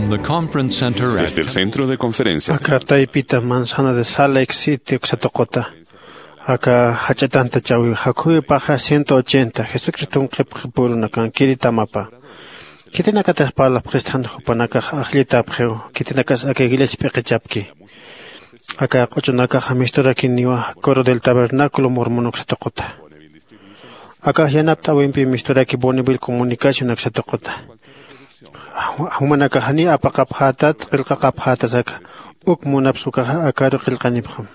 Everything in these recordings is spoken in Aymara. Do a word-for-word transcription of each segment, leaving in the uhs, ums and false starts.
Desde el centro de conferencias. Aka taypita manzana de Salt Lake City uksa tuquta. Aka jach'atantachawi jakhuwipaxa ciento ochenta Jesucriston qhipqipurunakankiri tamapa. Khitinakatix parlapxistxan jupanakax ajllitapxiw, khitinakas aka iglesia p'iqichapki. Aka q'uchunakaxa misturakiniwa Coro del Tabernáculo Mormon uksa tuquta. Akax yanapt'äwimpi misturaki Bonneville Comunicación uksa tuquta. Jumanakax janiw apaqapxätat, qillqaqapxätas aka. Uk munapsa ukaxa akaru qillqanipxam.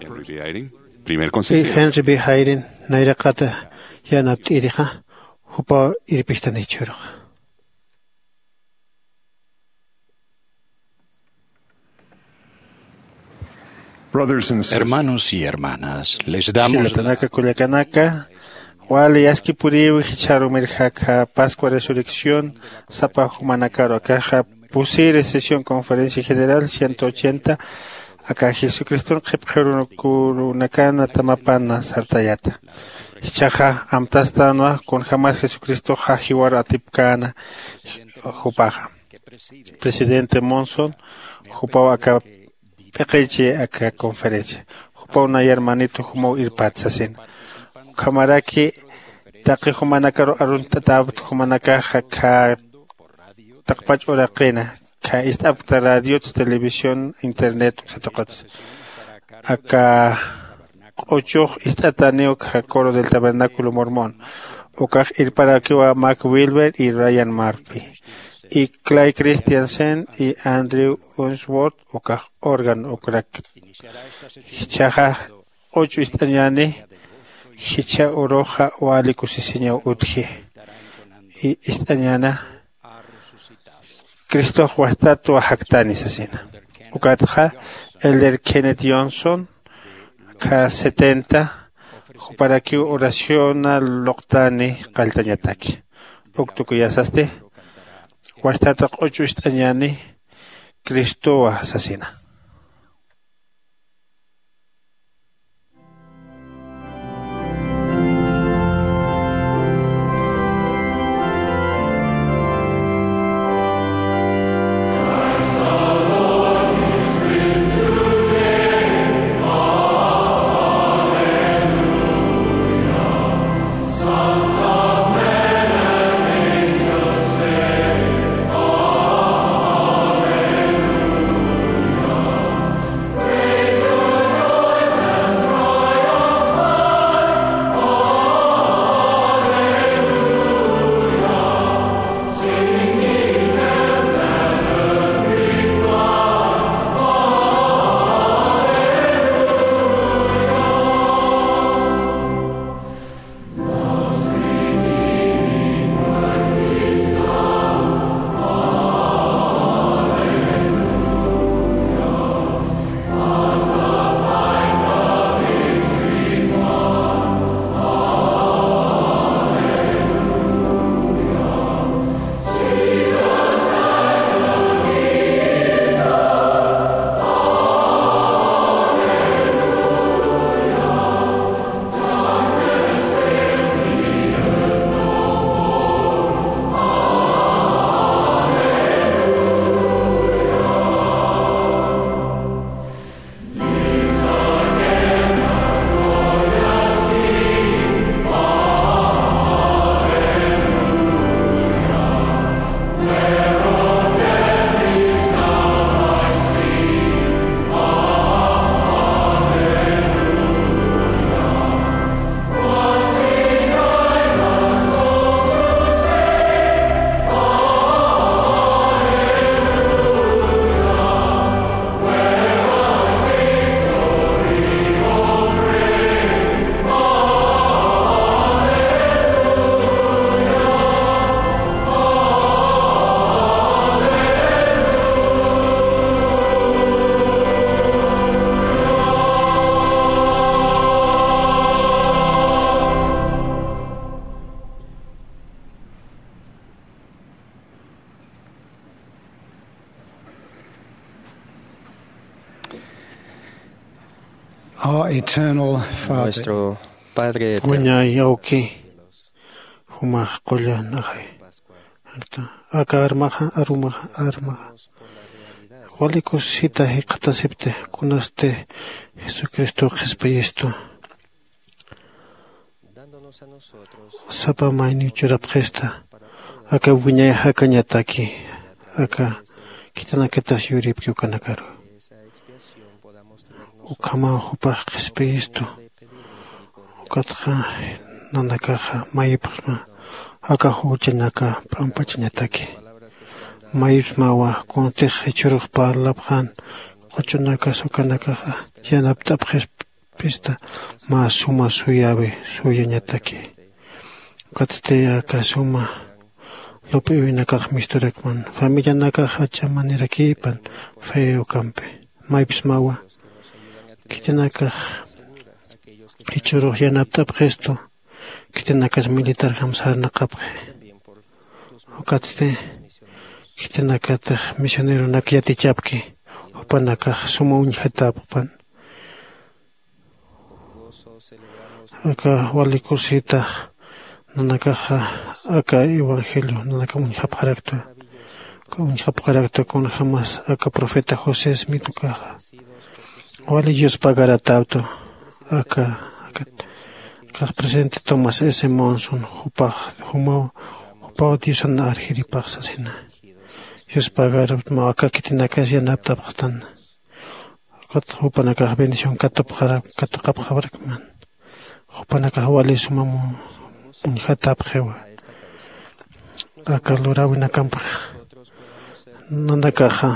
Henry B. Eyring, primer consejero. Henry B. Eyring nayraqata yanapt'irixa, jupaw irpistani jichhüruxa. Brothers and sisters. Hermanos y hermanas, les damos la... Jilatanaka, kullakanaka, wali askipuriw jichharu mirjaka Pascua Resurrección sapa jumanakaru. Akaxa pusiri sesión conferencia general ciento ochenta, aka Jesucriston qhipqirunakana tamapana sartayata. Jichhaxa amtastänwa kunjämas Jesucristoxa jiwar atipkäna jupaxa. Presidente Monson, jupaw aka p'iqichi aka conferencia. Jupaw nayar manito jumaw irpat sasina. Ukhamaraki taqi jumanakaru arunt'atäpt jumanakaxa khä taqpach uraqina, khä ist'apkta radiots, televisión, internet uksa tuqits. Aka q'uchux ist'ataniw khä Coro del Tabernáculo Mormon. Ukax irparakiwa Mark Wilber y Ryan Murphy, y Clay Christensen y Andrew Unsworth, ukax órgano ukrak. Jichhaxa q'uch'u ist'añäni, jichha uruxa wali kusisiñaw utji. Y ist'añäna, Cristox wastatwa jaktani sasina. Ukatxa Elder Kenneth Johnson, khä setenta, juparakiw oraciona luqtani qalltañataki. Uk tukuyasasti, wastata q'uch'u ist'añäni, Cristowa sasina. Our eternal Father. Nuestro Padre eterno. Kuñäy awki, Jumax qullan ajay. Aka armaxa arumaxa armaxa wali kusisita jikxatasipti kunasti jesucristo qhispiyistu. Sapa mayniw churapxista aka wiñay jakañataki aka khitinakatas yuripki ukanakaru. Ukhamaw jupax qhispiyistu. Ukatxa nanakaxa mayipxsma aka juchañaka p'ampachañataki. Mayipxsmawa kuntix jichhürux parlapxan quchunakas ukanakaxa yanapt'apxispista mä suma suyäwi suyañataki. Ukatsti aka suma lup'iwinakax misturakman familianakax jach'a manirakipan fe ukampi. Maypsmawa khitinakax jichhürux yanapt'apxistu khitinakas militarjam sarnaqapxi. Ukatsti khitinakatix misioneronak yatichapki jupanakax suma uñjatäpxpan. Aka wali kusita nanakaxa aka evangelio nanaka uñjapxarakta. Uñjapxarakta kunjämas aka profeta josé smith ukaxa wali yuspagaratäwta. Aka aka kax presidente tomás s monson jupax jumaw jupaw diosan arjiripax sasina. Yuspagaraptmaw aka khitinakas yanapt'apxtan. Ukat jupanakax bendición katuqapxarakman. Jupanakax wali sumam uñjatapxiwa. Aka luräwinakampix nanakaxa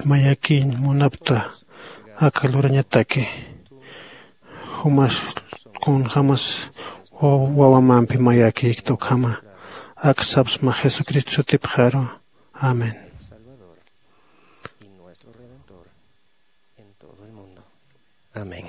mayakiñ munapta aka lurañataki. Jumas kunjämas wawamampi mayakïkta ukhama aksapsma jesucristo sutipxaru. Amén. Y nuestro redentor en todo el mundo. Amén.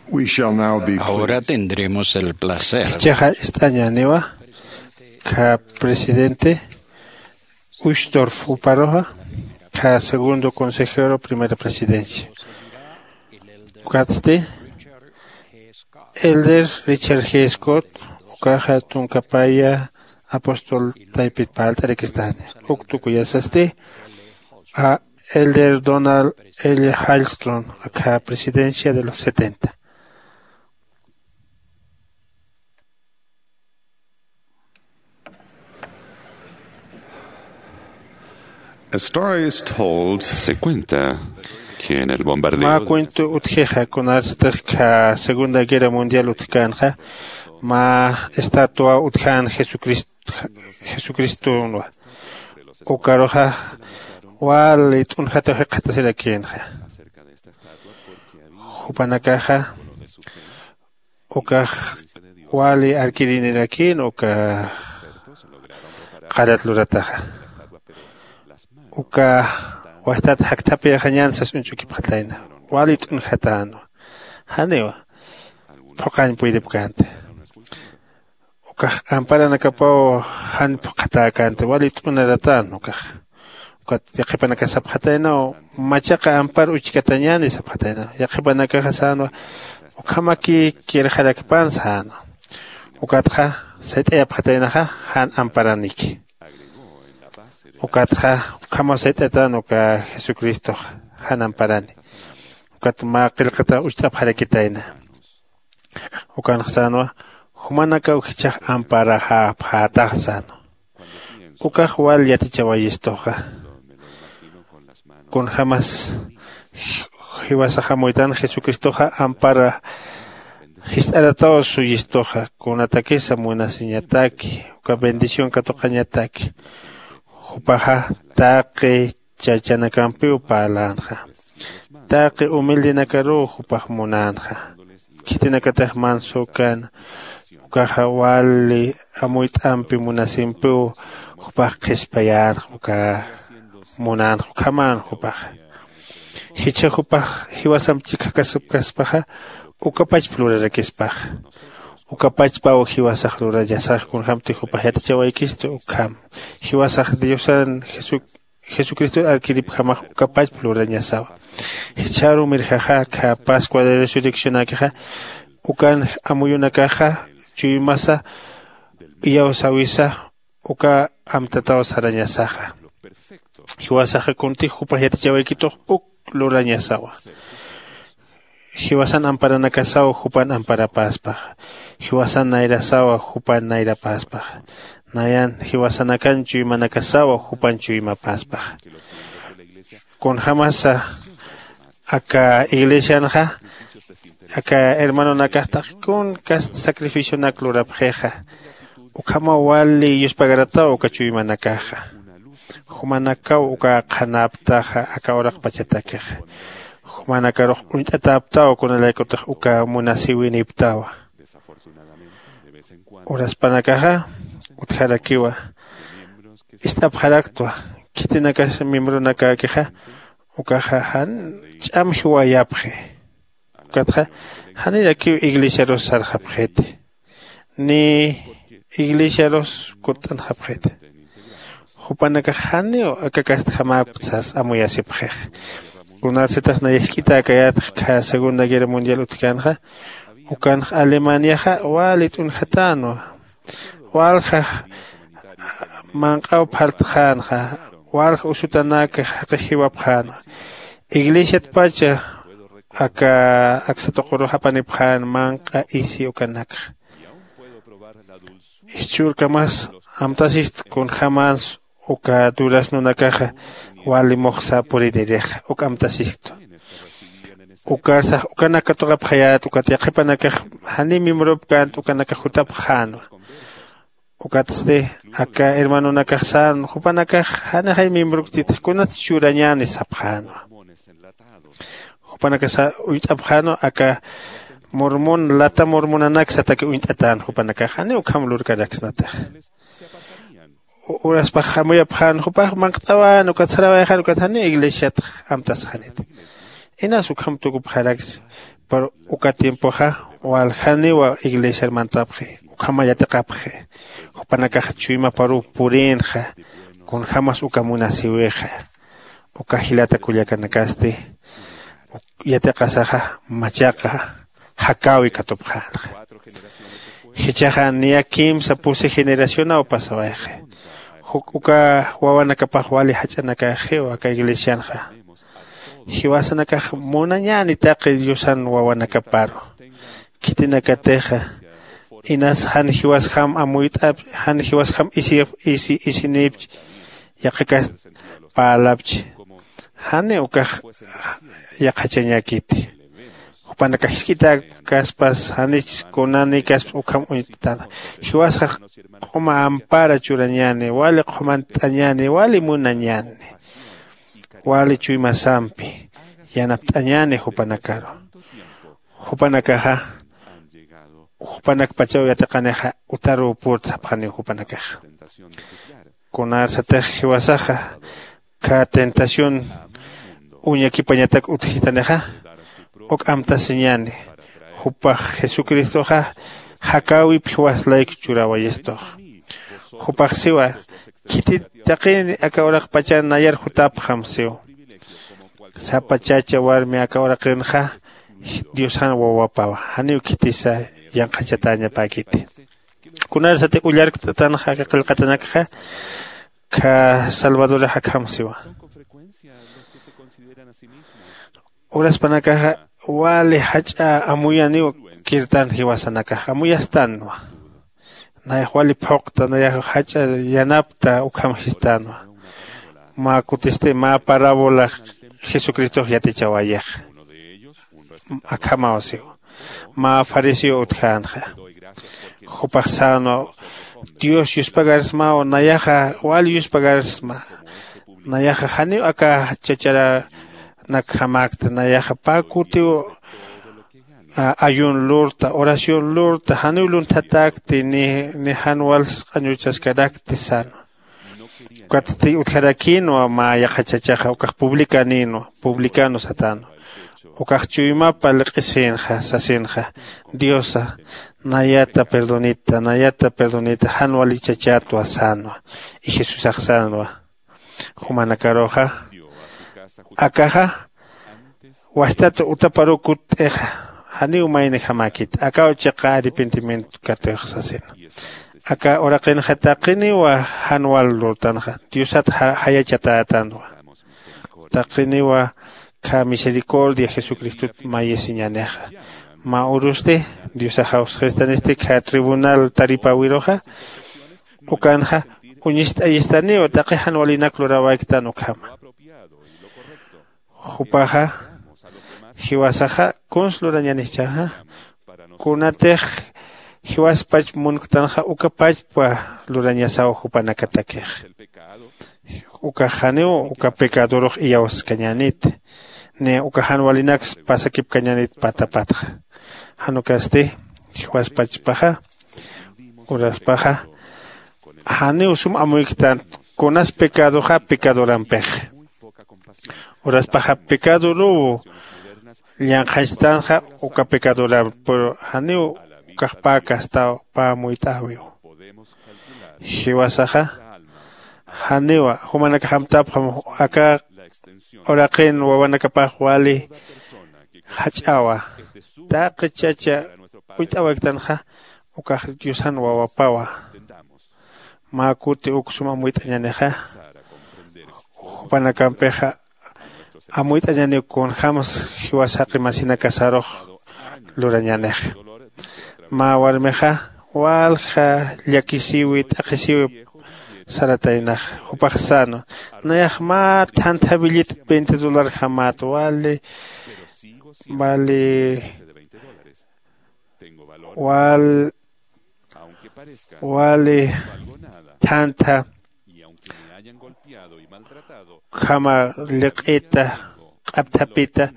We shall now be Ahora pleased. Tendremos el placer. Jichhaxa ist'añäniwa, kha presidente Uchtdorf uparuxa, kha segundo consejero, primera presidencia. Ukatsti, Elder Richard G. Scott, ukaxa tunkapaya apóstol taypit parlt'arakistani. Uk tukuyasasti, a Elder Donald L. Hallström, akha presidencia de los setenta. A story is told. Se cuenta que en el bombardeo Mä cuento utjixa, kunasatix kha Segunda Guerra Mundial utjkänxa, mä estatua utjän Jesucrist-, Jesucristonwa. Ukaruxa wali t'unjataw jikxatasirakïnxa. Jupanakaxa ukax wali arkirinirakin uka qarat lurataxa. Uka wastat jakthapïxañän sas uñch'ukipxatayna. Wali t'unjatänwa. Janiwa phuqañ puydipkänti. Ukax amparanakapaw jan phuqhatäkänti, wali t'unaratän ukax. Ukat yaqhipanakax sapxataynaw, machaqa ampar uchkatañäni sapxataynaw. Yaqhipanakaxa sänwa, ukhamaki kirxarakpan sänwa. Ukatxa sayt'ayapxataynaxa jan amparaniki. Ukatxa ukhamaw sayt'atän uka Jesucristox jan amparani. Ukat mä qillqata ucht'apxarakitayna. Ukanx sänwa, jumanakaw jichhax amparaxäpxätax sänwa. Ukax wal yatichawayistuxa. Kunjämas jiwasax amuytan Jesucristoxa ampara jist'arataw suyistuxa, kunatakisa munasiñataki, uka bendición katuqañataki. Jupaxa taqi chachanakampiw parlänxa. Taqi humildenakaruw jupax munänxa. Khitinakatix manso kän, ukaxa wali amuyt'ampi munasimpiw jupax qhispayänxa, uka munänxa, ukhamän jupaxa. Jichha jupax jiwasamp chikjakasipkaspaxa, ukapachp lurarakispaxa. Ukapachpaw jiwasax lurañasax, kunjämti jupax yatichawaykistu ukham. Jiwasax Diosan Jesu- Jesucristor arkiripjamax ukapachp lurañasawa. Jichharu mirjaxa, kha Pascua de Resurreccionäkixa, ukan amuyunakaxa chuymasa iyawsäwisa, uka amtataw sarañasaxa. Jiwasaxa kuntix jupax yatichawaykitux uk lurañasawa. Jiwasan amparanakasaw jupan amparapäspaxa. Jiwasan nayrasaw jupan nayrapaspaxa. Nayan jiwasanakan chuymanakasaw jupan chuymapaspaxa. Kunjämasa aka iglesianxa, aka hermanonakax taqi kun kast sacrificionak lurapxixa, ukhamaw wali yuspagarataw uka chuymanakaxa. Jumanakaw uka qhanaptaxa aka uraqpachatakixa. Jumanakarux uñt'atäptaw kunalaykutix uka munasiwinïptawa. Uraspanakaxa utjarakiwa, ist'apxaraktwa, khitinakas miembronakakixa ukaxa jan ch'am jiwayapxi. Ukatxa janirakiw iglesiarus sarxapxiti, ni iglesiarus kutt'anxapxiti. Jupanakax janiw aka kastjamäkptsas amuyasipxix. Kunasatix nayax jk'itäkayätx kha Segunda Guerra Mundial utjkänxa, ukanx Alemaniaxa wali t'unjatänwa. Waljax manq'aw phartxänxa, walja usutanak jaqix jiwapxänwa. Iglesiatpacha aka aksa tuqurux apanipxän manq'a isi ukanakxa. Jichhürkamas amtasist kunjämans uka duraznonakaxa wali muxsa purinirixa, uk amtasistu. Ukarsax ukanak katuqapxayät, ukat yaqhipanakax janiw miembropkänti, ukanakax jutapxänwa. Ukatsti aka hermanonakax sän, jupanakax janixay miembroktit, kunat churañäni sapxänwa. Jupanakasa uñt'apxänwa, aka mormon, lata mormonanak sataki uñt'atän jupanakax, janiw ukham lurkaraksnatix. U- uraspax amuyapxän, jupax manq't'awän, ukat sarawayxän, ukat janiw iglesiat amtasxanit. Inas ukham tukupxarakchi, Pero uka tiempoxa waljaniwa iglesiar mantapxi, ukhama yatiqapxi. Jupanakax chuymaparuw purïnxa kunjämas uka munasïwixa. Uka jilata kullakanakasti yatiqasaxa machaqa jakäwi katupxänxa. Jichhaxa niya kimsa pusi generacionaw pasawayxi. Juk uka wawanakapax wali jach'anakaxiw aka iglesianxa. Jiwasanakax munañäni taqi diosan wawanakaparu. Khitinakatixa inas jan jiwasjam amuyt'ap, jan jiwasjam isi isi isinipch, yaqhakas parlapch, jani ukax yaqhachañäkiti. Jupanakax jisk'itäkaspas janich kunanikas ukham uñt'tana. Jiwasax q'uma ampara churañäni, wali q'umant'añäni, wali munañäni, wali chuymasampi yanapt'añäni jupanakaru. Jupanakaxa jupanakpachaw yatiqanixa utaruw purta sapxaniw jupanakaxa. Kunarsatix jiwasaxa kha tentación uñakipañatak utjistanixa, uk amtasiñäni. Jupax jesucristoxa jakäwip jiwas layku churäwayistux. Jupax siwa, khitit taqini aka uraqpacha nayar jutapxam siw. Sapa chacha warmi aka uraqinxa diosan wawapawa, janiw khitisa yanqhachatäñapäkiti. Kunarsatix ullarkt'atanxa aka qillqatanakxa, kha salvadorax akham siwa. Uraspanakaxa wali jach'a amuyaniw kirtan jiwasanakax amuyastänwa. Nayax wali phuqta, nayax jach'a yanapta ukham sistänwa. Mä kutisti mä parábola jesucristox yatichawayixa. Akhamaw siw. Mä fariseo utjänxa. Jupax sänwa, dios yuspagarsmaw, nayaxa wal yuspagarsma. Nayaxa janiw aka chacharanak jamäkta, nayaxa pä kutiw ayun lurta, oración lurta, janiw lunthatäkti ni jan wals q'añuchaskarakti sänwa. Ukatsti utjarakïnwa mä yaqha chachaxa ukax publicanïnwa, publicano satänwa. Ukax chuymapa liq'isïnxa sasinxa, diosa, nayata perdonita, nayata perdonita, jan wali chachätwa sänwa. Y jesusax sänwa, jumanakaruxa akaxa wajtat utaparuw kutt'ixa, janiw maynijämäkit, akaw chiqa arrepentimiento katix sasina. Aka uraqinxa taqiniwa jan wal lurtanxa diosat jayachatätanwa. Taqiniwa kha misericordia jesucristot mayisiñänixa. Mä urusti diosax awsxistanisti kha tribunal taripäwiruxa, ukanxa uñist'ayistaniw taqi jan walinak luräwayktän ukhama. Jupaxa jiwasaxa kuns lurañäni jichhaxa, kunatix jiwaspach munktanxa ukapachpa lurañasaw jupanakatakix. Ukax janiw uka pecadorux iyawskañänit, ni uka jan walinaks pasakipkañänit patapatxa. Jan ukasti jiwaspachpaxa uraspaxa janiw sum amuyktan kunas pecadoxa pecadorampix. Uraspaxa pecadoruw llanqhañchtänxa uka pecadoramp, pero janiw ukax pä kastaw pä muyt'äwiw. Jiwasaxa janiwa jumanakax amtapxam aka uraqin wawanakapax wali jach'awa. Taqi chacha uñt'awayktanxa ukax diosan wawapawa. Mä kuti uk sum amuyt'añänixa jupanakampixa amuyt'añäniw kunjämsa jiwas jaqi masinakasarux lurañänixa. Mä warmixa walja llakisiwi t'aqhisiwi sarataynaxa. Jupax sänwa, nayax mä thantha billit veinte dolarjamät wali, wali wal wali thantha ukhama liq'ita q'apthapita,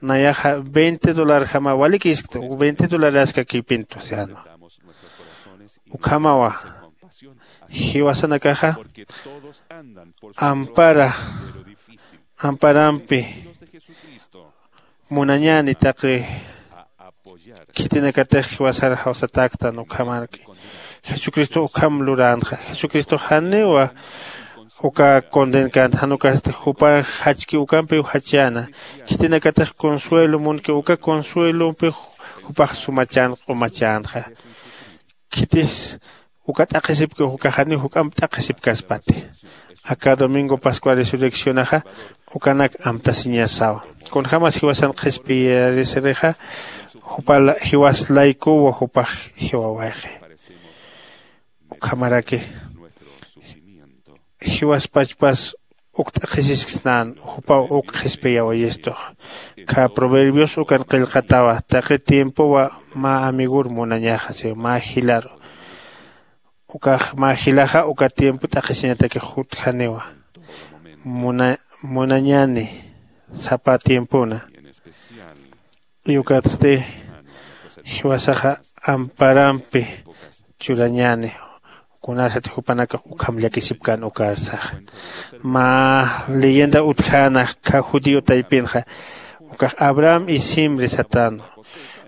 nayaxa veinte dolarjama walikïskta, veinte dolaraskakipintu sänwa. Ukhamawa jiwasanakaxa ampara amparampi munañäni taqi Khitinakatix jiwasar jawsatäktan ukhamarki. Jesucristo ukham luränxa. Jesucristo janiwa uka condenkänti, jan ukasti jupax jachki ukampiw jachäna. Khitinakatix consuelo munki, uka consuelompiw jupax sumachän q'umachänxa. Khitis uka t'aqhisipki, ukax janiw juk'amp t'aqhisipkaspati. Aka domingo pascua resurreccionaxa ukanak amtasiñasawa. Kunjämas jiwasan qhispiyarisirixa, jupal jiwas laykuwa jupax jiwawayxi. Ukhamaraki jiwaspachpas uk t'aqhisisksnän, jupaw uk qhispiyawayistux. Khä Proverbios ukan qillqatawa, taqi tiempowa mä amigur munañaxa, si mä jilaru. Ukax mä jilaxa uka tiempo t'aqhisiñatakix jutjaniwa. Muna-, munañäni sapa tiempona. Y ukatsti jiwasaxa amparampi churañäni. Kunasat jupanakax ukham llakisipkän ukarsaxa. Mä leyenda utjäna khä judío taypinxa, ukax Abraham y Simri satänwa.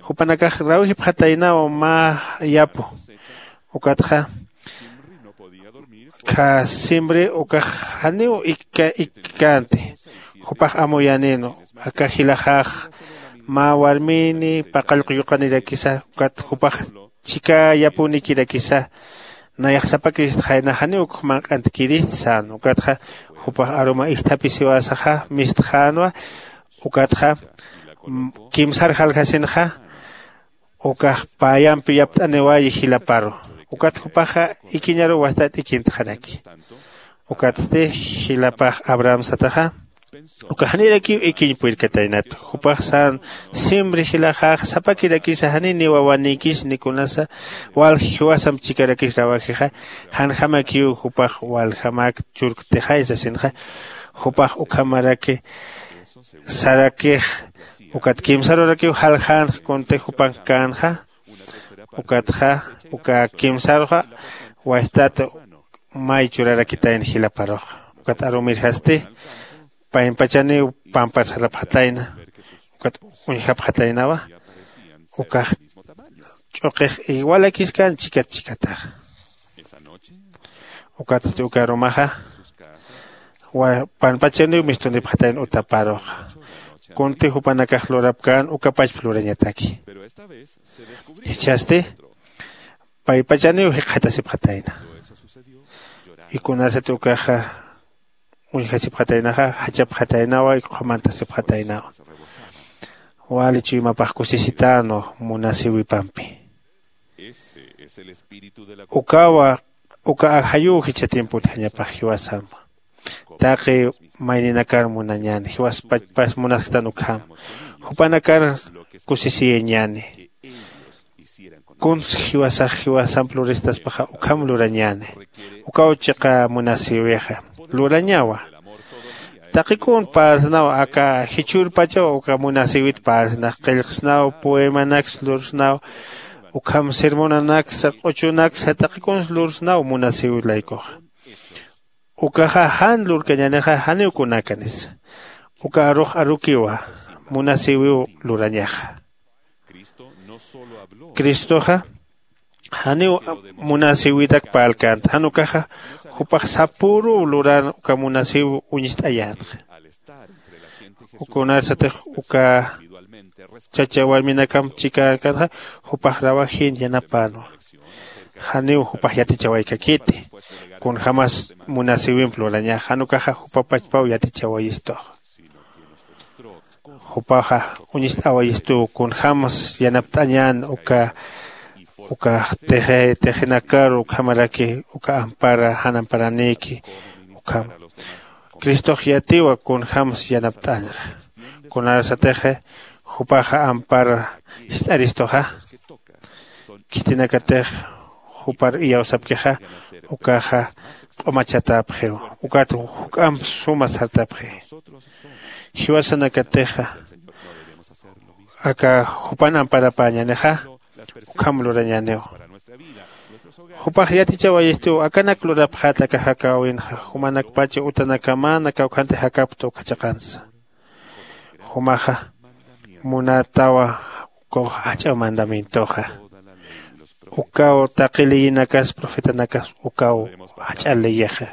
Jupanakax rawjipxataynawa mä yapu. Ukatxa khä Simri ukax janiw ikka-, ikkänti. Jupax amuyänïnwa. Aka jilaxax mä warmini paqallqu yuqanirakisa, ukat jupax chhika yapunikirakisa, nayax sapakiristxayna, janiw ukx manq'antkirist sän. Ukatxa jupax aruma isthapisïwäsaxa mistxänwa. Ukatxa, mm, kimsar jaljasinxa, ukax payampi yapt'aniwayi jilaparu. Ukat jupaxa ikiñaruw wastat ikintxaraki. Ukatsti jilapax Abraham sataxa, uka janirakiw ikiñ purirkataynat. Jupax sän, Simri jilaxax sapakirakisa, janiy ni wawanïkis ni kunasa, walja jiwasamp chhikarakis rawajixa, janjamakiw jupax waljamak churktixay sasinxa, jupax ukhamaraki sarakix, ukat kimsarurakiw jaljänx kunti jupankkänxa, ukatxa, uka kimsaruxa, wastat may churarakitayna jilaparux. Ukat arumirjasti, paynpachaniw pampar sarapxatayna, ukat uñjapxataynawa, ukax ch'uqix igualakiskan chikat chikatax. Ukatsti uka arumaxa, wa-, panpachaniw mistunipxatayna utaparuxa. Kunti jupanakax lurapkän, ukapachp lurañataki. Jichhasti, paypachaniw jikxatasipxatayna. Y kunasat ukaxa uñjasipxataynaxa, jachapxataynawa, y qhumantasipxataynawa. Wali chuymapax kusisitänwa munasïwipampi. Ukawa, uka ajayuw jichha tiempo utjañapax jiwasamp. Taqi mayninakar munañäni, jiwaspachpas munasktan ukham. Jupanakar kusisiyañäni. Kuns jiwasax jiwasamp luristaspaxa ukham lurañäni. Ukaw chiqa munasïwixa. Lurañawa. Taqi kun parsnaw aka jichhürpachaw uka munasïwit parsnax, qillqsnaw, poemanaks lursnaw, ukham sermonanaksa, q'uchunaksa, taqi kuns lursnaw munasïwi laykuxa. Ukaxa jan lurkañänixa janiw kunakanisa. Uka arux arukiwa, munasïwiw lurañaxa. Cristoxa janiw munasïwitak parlkänti, jan ukaxa jupax sapüruw luran uka munasïw uñst'ayänxa. Uka unarsatix uka chacha warminakamp chikäkänxa, jupax rawajin yanapänwa. Janiw jupax yatichawaykakiti. Kunjämas munasïwimp lurañax, jan ukaxa jupa pachpaw yatichawayistux. Jupaxa uñst'awayistuw kunjämas yanapt'añän uka, uka tixi-, tixinakaru ukhamaraki uka ampara, jan amparanïki ukham. Cristox yatiwa kunjämas yanapt'añxa. Kunarsatixi jupaxa ampara ist'aristuxa. Khitinakatix jupar iyawsapkixa, ukaxa q'umachatäpxiw. Ukat juk'amp suma sartapxi. Jiwasanakatixa, aka jupan amparapäñänixa, ukham lurañäniw. Jupax yatichawayistiw, akanak lurapxät aka jakäwinxa, jumanakpacha utanakamana kawkhanti jakapta uka chiqansa. Jumaxa munatawa Ukaw jach'a mandamientoxa. Ukaw taqi leyinakas profetanakas ukaw jach'a leyixa.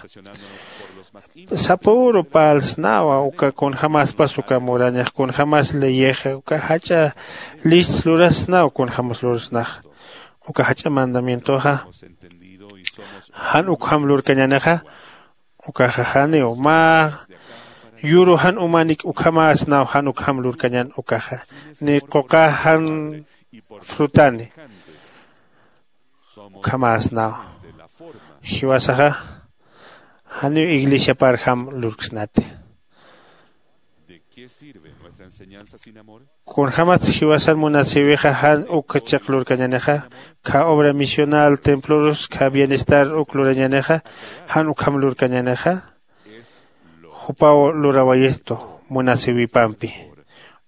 Sapüru parlsnawa uka kunjämaspas uka murañax kunjämas leyixa uka jach'a list lurasnaw kunjämas lursnax. Uka jach'a mandamientoxa jan ukham lurkañänixa. Ukaxa janiw mä yuru jan umanik ukhamäsnaw jan ukham lurkañän ukaxa ni quqa jan frutani ukhamäsnaw. Jiwasaxa janiw iglesiaparjam lurksnati. Kunjämatsa jiwasan munasïwixa jan uk chiq lurkañänixa khä obra misional templorus khä bienestar uk lurañänixa jan ukham lurkañänixa. Jupaw lurawayistu munasïwipampi.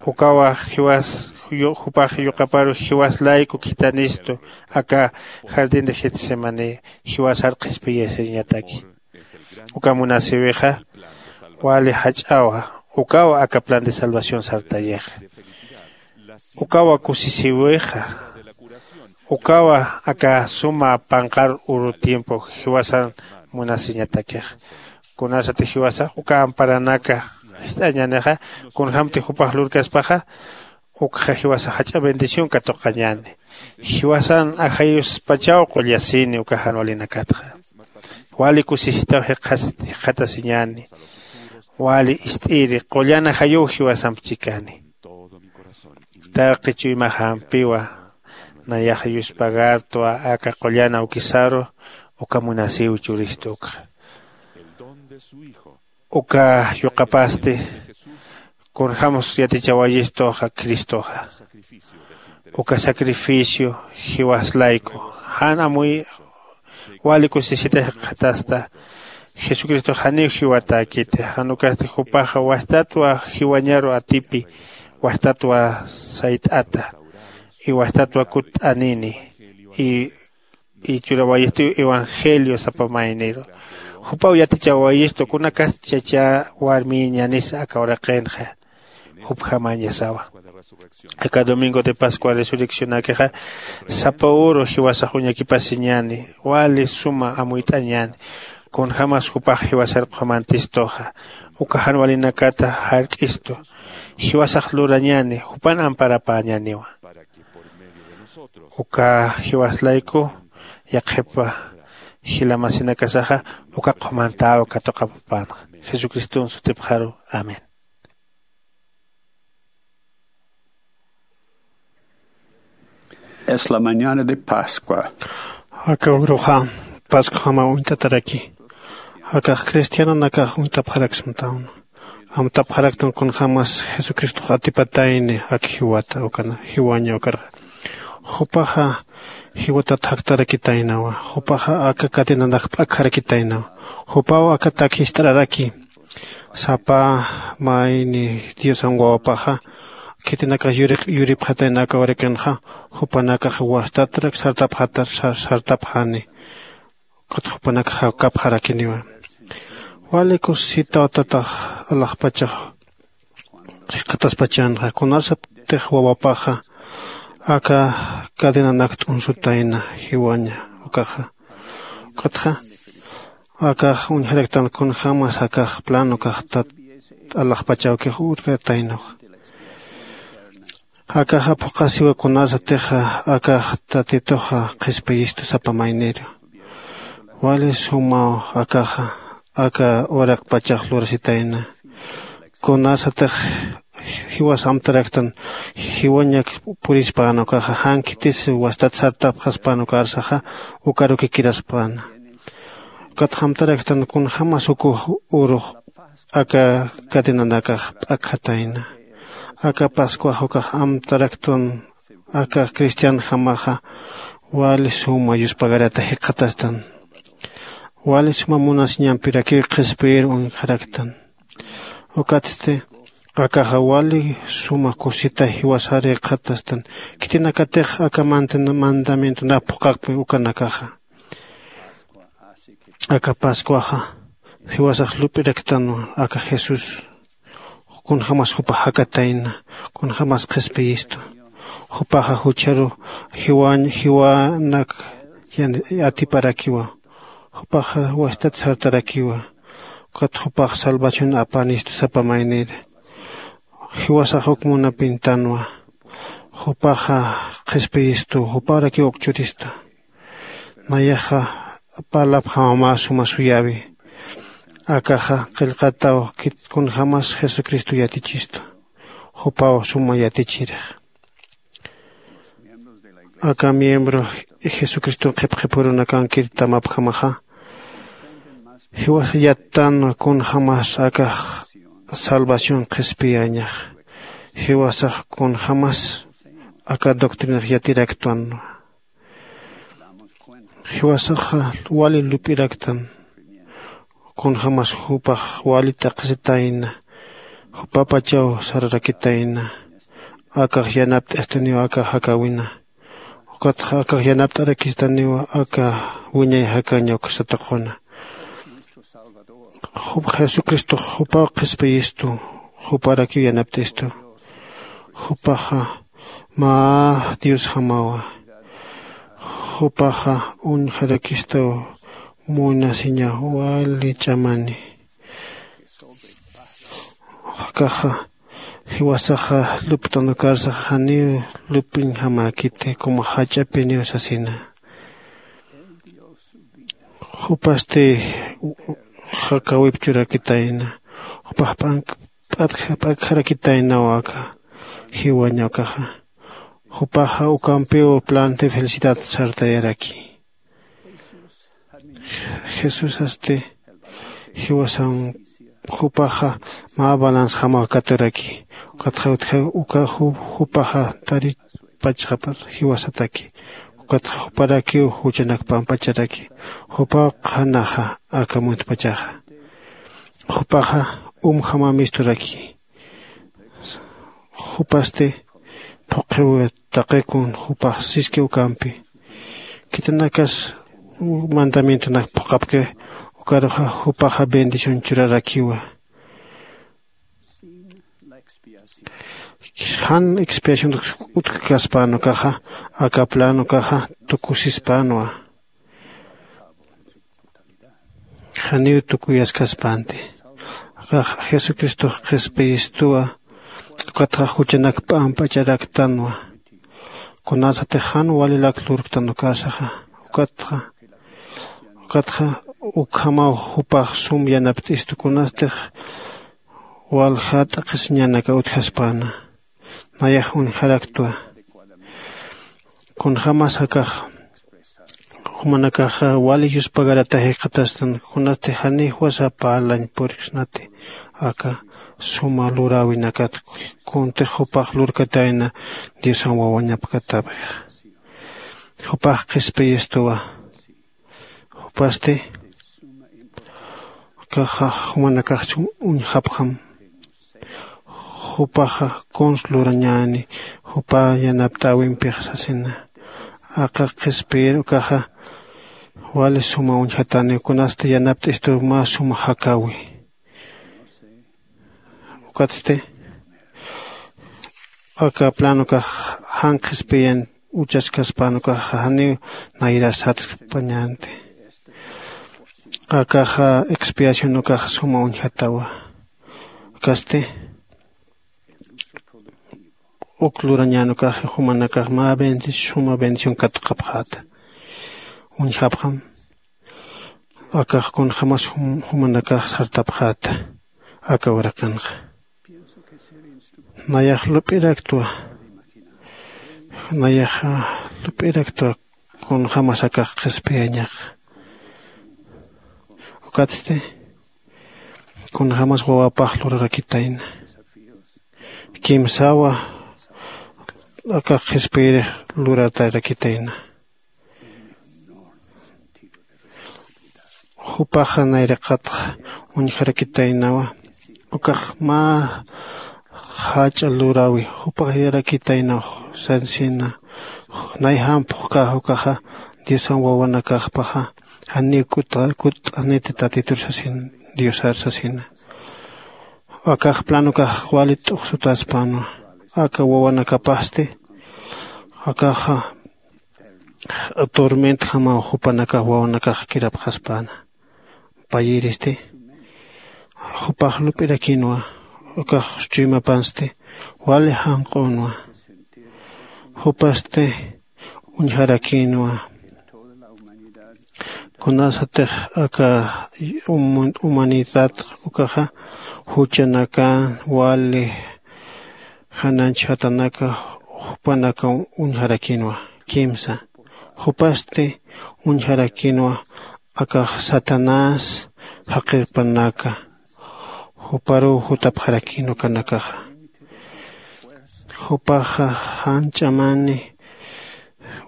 Ukawa jiwas jupax yuqaparu jiwas layku khithanistu aka jardín de getsemaní jiwasar qhispiyasiñataki. Uka munasïwixa wali jach'awa. Ukawa aka plan de salvación sartayixa. Ukawa kusisïwixa. Ukawa aka suma panqar uru tiempo jiwasan munasiñatakixa. Kunasati jiwasax uka amparanaka jist'añänixa kunjämti jupax lurkaspaxa ukxa jiwasax jach'a bendición katuqañäni. Jiwasan ajayuspachaw qullasini uka jan walinakatxa. Wali kusisitaw jikxatasiñäni. Wali ist'iri qullan ajayuw jiwasamp chikani. Taqi chuymaxampiwa nayaxa yuspagartwa aka qullan awkisaru uka munasïw churistu ukxa. Uka yuqapasti kunjämas yatichawayistuxa cristoxa. Uka sacrificio jiwas layku jan amuy wali kusisita jikxatasta. Jesucristox janiw jiwatäkiti jan ukasti jupaxa wastatwa jiwañaru atipi wastatwa sayt'ata y wastatwa kutt'anini y y churawayistiw evangelio sapa mayniru. Jupaw yatichawayistu kunakasti chachä warmiñanisa aka uraqinxa jupjamañasawa. Aka domingo de pascua resurreccionakixa sapa uru jiwasax uñakipasiñäni wali suma amuyt'añäni. Kunjämas jupax jiwasar qhumantistuxa uka jan walinakata jark'istu. Jiwasax lurañäni jupan amparapäñäniwa. Uka jiwas layku yaqhipa jila masinakasaxa uka qhumantäw katuqapapänxa jesucriston sutipxaru. Amén. Es la mañana de pascua. Aka uruxa pascuxama uñtataraki. Akax cristianonakax uñtapxaraksmatawn. Amtapxaraktan kunjämas jesucristox atipatayni ak jiwata ukana jiwaña ukarxa. Jupaxa jiwatat jaktarakitaynawa. Jupaxa aka cadenanak p'akjarakitaynawa. Jupaw aka tak jist'araraki. Sapa mayni diosan wawapaxa khitinakax yuripxatayna aka uraqinxa jupanakax wastatrak sartapxatar sartapxani. Ukat jupanakax jakapxarakiniwa. Wali kusisitaw tatax alaxpachax jikxataspachänxa kunasatix wawapaxa aka cadenanak t'unsutayna jiwaña ukaxa. Ukatxa akax uñjaraktan kunjämas akax plan ukaxtat alaxpachawkix urkataynax. Akaxa phuqhasiwa kunasatixa akax tatituxa qhispiyistu sapa mayniru. Wali sumaw akaxa aka uraqpachax lurasitayna. Kunasatix jiwas amtaraktan jiwañak purispän ukaxa jan khitis wastat sartapxaspän ukarsaxa ukarukikiraspän. Ukat amtaraktan kunjämas uk urux aka cadenanakax p'akjatayna. Aka pascuax ukax amtaraktan aka cristianjamaxa wali suma yuspagarata jikxatastan. Wali suma munasiñampirakiw qhispiyir uñjaraktan. Ukatsti akaxa wali suma kusita jiwasar jikxatastan. Khitinakatix aka mandamientonap phuqhaqpi ukanakaxa aka pascuaxa jiwasax lup'iraktanwa aka jesús kunjämas jupax jakatayna kunjämas qhispiyistu. Jupaxa jucharu jiwañ jiwanak atiparakiwa. Jupaxa wastat sartarakiwa. Ukat jupax salvación apanistu sapa maynir. Jiwasax uk munapintanwa. Jupaxa qhispiyistu juparakiw uk churistu. Nayaxa parlapxamamä suma suyäwi. Akaxa qillqataw kunjämas jesucristo yatichistu. Jupaw suma yatichirix. Aka miembro jesucriston qhipqhipurunakankir tamapjamaxa, jiwasa yattanwa kunjämas akax salvación qhispiyañax. Jiwasax kunjämas aka doctrinax yatiraktwanwa. Jiwasaxa wali lup'iraktan. Kunjämas jupax wali t'aqhisitayna. Jupapachaw sararakitayna. Akax yanapt'istaniw aka jakäwina. Ukatxa akax yanapt'arakistaniw aka wiñay jakaña uksa tuquna. Jesucristox jupaw qhispiyistu. Juparakiw yanapt'istu. Jupaxa mä diosjamawa. Jupaxa uñjarakista munasiña wali ch'amani. Akaxa jiwasaxa lupt'anukarsaxa janiw lup'iñjamäkiti como jach'apiniw sasina. Jupasti jakawip churakitayna. Jupax p'akjarakitaynaw aka jiwaña ukaxa. Jupaxa ukampiw plan de felicidad sartayaraki. Jesusasti jiwasan jupaxa mä balanzjamaw katuraki. Ukatxa utja uka jupaxa taripachxapar jiwasataki. Ukatxa juparakiw juchanak pampacharaki. Jupaw qhanaxa aka muntpachaxa. Jupaxa umjamamisturaki. Jupasti phuqhiw taqikun jupax siski ukampi. Khitinakas mandamientonak phuqhapkiw. Ukaruxa jupaxa bendición churarakiwa. Jan expiación utjkaspän ukaxa aka plan ukaxa tukusispänwa. Janiw tukuyaskaspanti. Akax jesucristox qhispiyistuwa. Ukatxa juchanak p'amp'acharaktanwa. Kunasatix jan walilak lurktan ukarsaxa ukatxa ukatxa ukhamaw jupax sum yanapt'istu kunastix walja t'aqhisiñanaka utjaspäna. Nayax uñjaraktwa. Kunjämas akax jumanakaxa wali yuspagarata jikxatastan kunasti janiw wasa parlañ puriksnati. Aka suma luräwinakat kuntix jupax lurkatayna diosan wawañapkatäpxixa. Jupax qhispiyistuwa. Jupasti akaxa jumanakaxch uñjapxam. Jupaxa kuns lurañäni jupa yanapt'äwimpix sasina. Aka qhispiyir ukaxa wali suma uñjataniw kunasti yanapt'istuw mä suma jakäwi. Ukatsti aka plan ukax jan qhispiyan uchaskaspän ukax janiw nayrar satskpañänti. Akaxa expiación ukax suma uñjatawa. Ukasti uk lurañän ukax jumanakax mä bendición suma bendición katuqapxäta. Uñjapxam akax kunjämas jumanakax sartapxäta. Aka uraqinxa nayax lup'iraktwa. Nayaxa lup'iraktwa kunjämas akax qhispiyañax. Ukatsti kunjämas wawapax lurarakitayna. Kimsawa akax qhispiyirix luratarakitayna. Jupaxa nayraqatxa uñjarakitaynawa. Ukax mä jach'a luräwi jupax yarakitaynaw sansina. Nayjam phuqhax ukaxa diosan wawanakaxpaxa janiw kutt'aniti tatitur sasin diosar sasina. Akax plan ukax wali t'uqsutaspänwa. Aka wawanakapasti Akaxa tormentjamaw jupanakax wawanakax kirapxaspäna. Payïristi jupax lup'irakinwa. Ukax chuymapansti wali janq'unwa. Jupasti uñjarakïnwa. Kunasatix aka humanidad ukaxa juchanakan wali jananch jatanaka jupanaka uñjarakïnwa. Kimsa jupasti uñjarakïnwa. Akax satanás jaqipanaka juparuw jutapxarakïn ukanakaxa. Jupaxa jan ch'amani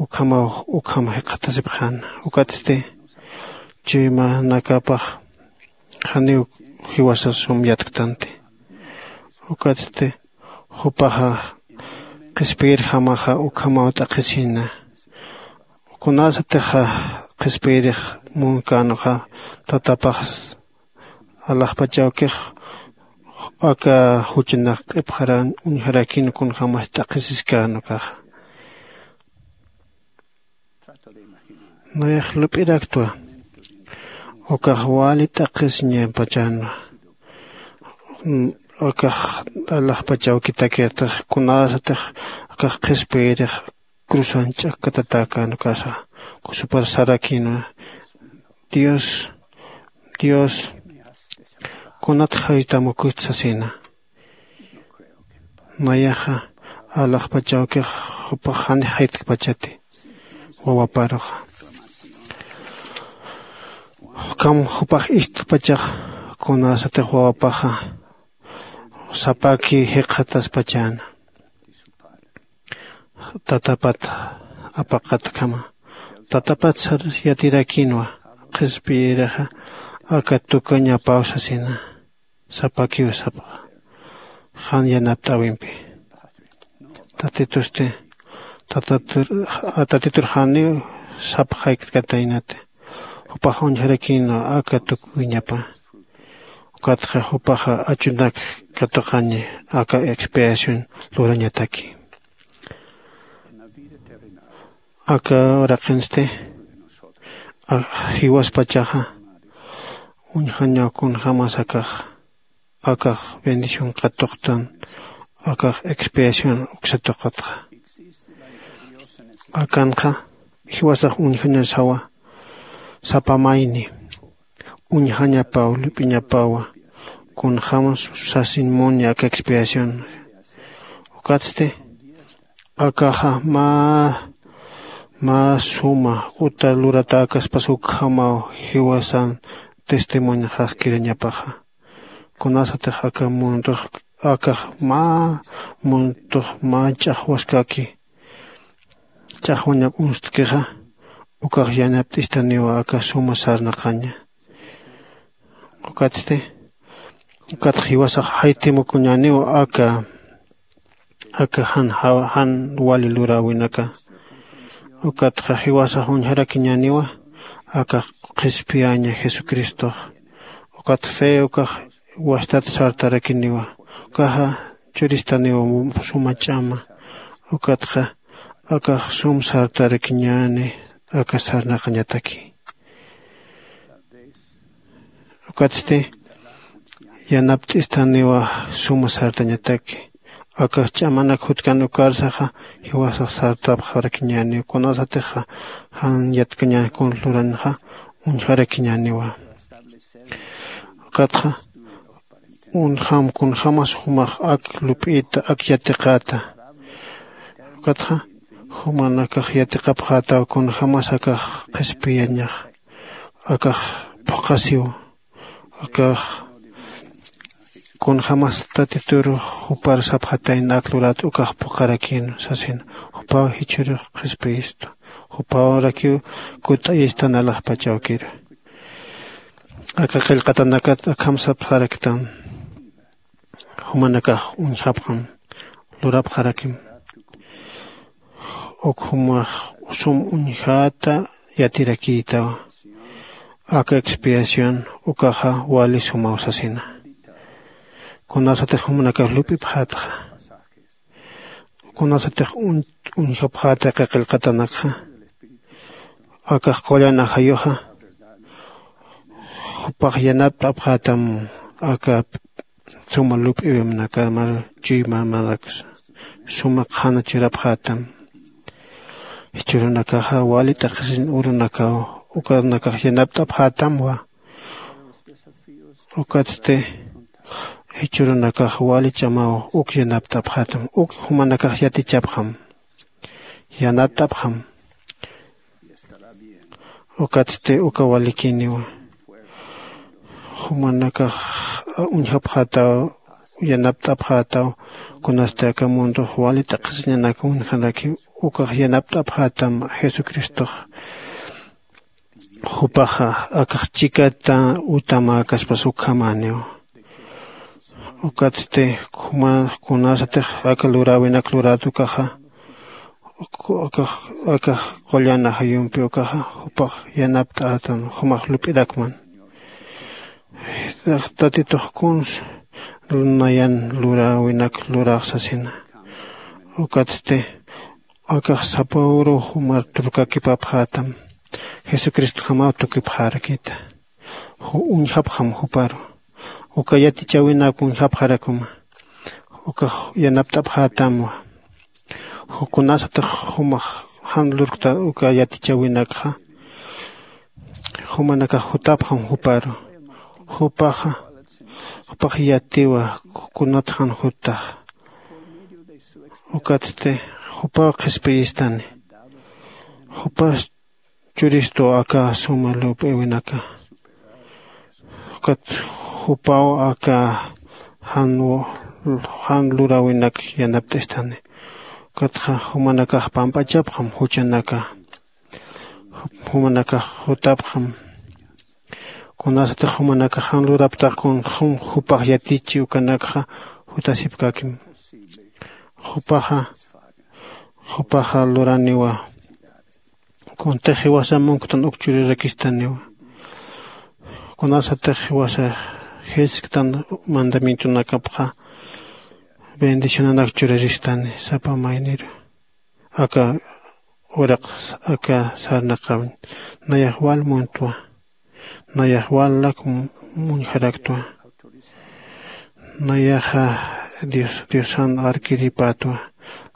ukhamaw ukham jikxatasipxäna. Ukatsti chuymanakapax janiw jiwasasum yatktanti. Ukatsti jupaxa qhispiyirjamaxa ukhamaw t'aqhisina. Kunasatixa qhispiyirix munkänxa tatapax alaxpachawkix aka juchanak q'ipxaran uñjarakïn kunjämas t'aqhisiskän ukaxa. Nayax lup'iraktwa ukax wali t'aqhisiñapachänwa. Akax alaxpachawkitakitix kunasatix akax qhispiyirix cruzan ch'akkatatäkän ukasa kusupar sarakïnwa. Dios, dios, kunat jaytamukusta sasina. Nayaxa alaxpachawkix jupax jani jaytkpachati wawaparuxa. Ukham jupax istpachax kunasatix wawapaxa sapaki jikxataspachäna. Tatapat apaqatkhama tatapat sar yatirakïnwa. Qhispiyirixa aka tukañapaw sasina. Sapakiw sapxa jan yanapt'äwimpi. Tatitusti tatitur janiw sapxaykkataynati. Jupax uñjarakïnwa aka tukuñapa. Ukatxa jupaxa achunak katuqañi aka expiación lurañataki. Aka uraqinsti jiwaspachaxa uñjañaw kunjämas akax akax bendición katuqtan. Akax expiación uksa tuqutxa akanxa jiwasax uñjañasawa. Sapa mayni uñjañapaw lup'iñapawa. Kunjämas sasin muni aka expiación. Ukatsti akaxa mä mä suma uta luratäkaspas ukhamaw jiwasan testimonioxaskirañapaxa. Kunasatix aka mundox akax mä mundox mä ch'axwaskaki ch'axwañak unstkixa ukax yanapt'istaniwa aka suma sarnaqaña. Ukatsti ukatxa jiwasax jaytimukuñäniw aka aka jan jan wali luräwinaka. Ukatxa jiwasax uñjarakiñäniwa aka qhispiyaña jesucristox. Ukat fe ukax wastat sartarakiniwa ukaxa churistaniwa suma ch'ama. Ukatxa akax sum sartarakiñäni aka sarnaqañataki. Ukatsti yanapt'istaniwa suma sartañataki. Akax ch'amanak jutkan ukarsaxa jiwasax sartapxarakiñäniw kunasatixa jan yatkañän kun luranxa uñjarakiñäniwa. Ukatxa unjam kunjämas jumax ak lup'ita ak yatiqäta. Ukatxa jumanakax yatiqapxätaw kunjämas akax qhispiyañax akax phuqhasiw. Akax kunjämas tatitur jupar sapxatayna ak lurat ukax phuqharakïn sasin. Jupaw jichhürux qhispiyistu jupawrakiw kutt'ayistan alaxpach awkiru. Aka qillqatanakat akham sapxaraktan jumanakax uñjapxam lurapxarakim. Uk jumax sum uñjäta yatirakïtawa. Aka expiación ukaxa wali sumaw sasina. Kunasatix jumanakax lup'ipxätxa Kunasatix uñjapxäta qillqatanakxa, akax qullan ajayuxa jupax yanapt'apxätam. Aka suma lup'iwimnakar mar chuymarmanaksa suma qhana churapxätam. Jichhürunakaxa wali t'aqhisiñ urunakaw ukanakax yanapt'apxätamwa. Ukatsti jichhürunakax wali ch'amaw uk yanapt'apxätam uk jumanakax yatichapxam, yanapt'apxam. Ukatsti uka walikiniwa jumanakax uñjapxätaw, yanapt'apxätaw. Kunasti aka mundox wali t'aqhisiñanak uñjanaki ukax yanapt'apxätam. Jesucristox jupaxa akax chikata utamäkaspas ukhamäniw. Ukatsti kunasatix aka luräwinak lurätukaxa akax qullan ajayumpi ukaxa jupax yanapt'ätan jumax lup'irakman. Tatitux kuns nayan luräwinak luräxsasina. Ukatsti akax sapa uru jumar turkakipapxätam. Jesucristjamaw tukipxarakita. Uñjapxam juparu uka yatichäwinak uñjapxarakuma. Ukax yanapt'apxätamwa. Kunasatix jumax jan lurkta uka yatichäwinakxa jumanakax jutapxam juparu. Jupaxa jupax yatiwa kunatxan juttaxa. Ukatsti jupaw qhispiyistani. Jupas churistu aka suma lup'iwinaka. Ukat jupaw aka jan jan luräwinak yanapt'istani. Ukatxa jumanakax pamp'achapxam juchanaka. Jumanakax jutapxam. Kunasatix jumanakax jan luraptax kunjum jupax yatichi ukanakxa jutasipkakim. Jupaxa jupaxa luraniwa. Kuntix jiwasa munktan uk churirakistaniwa. Kunasatix jiwasa jisktan mandamientonakapxa bendicionanak churaristani sapa mayniru. Aka uraq aka sarnaqawin nayax wal muntwa. Nayax wal lak muñjaraktwa. Nayaxa diosan arkiripätwa.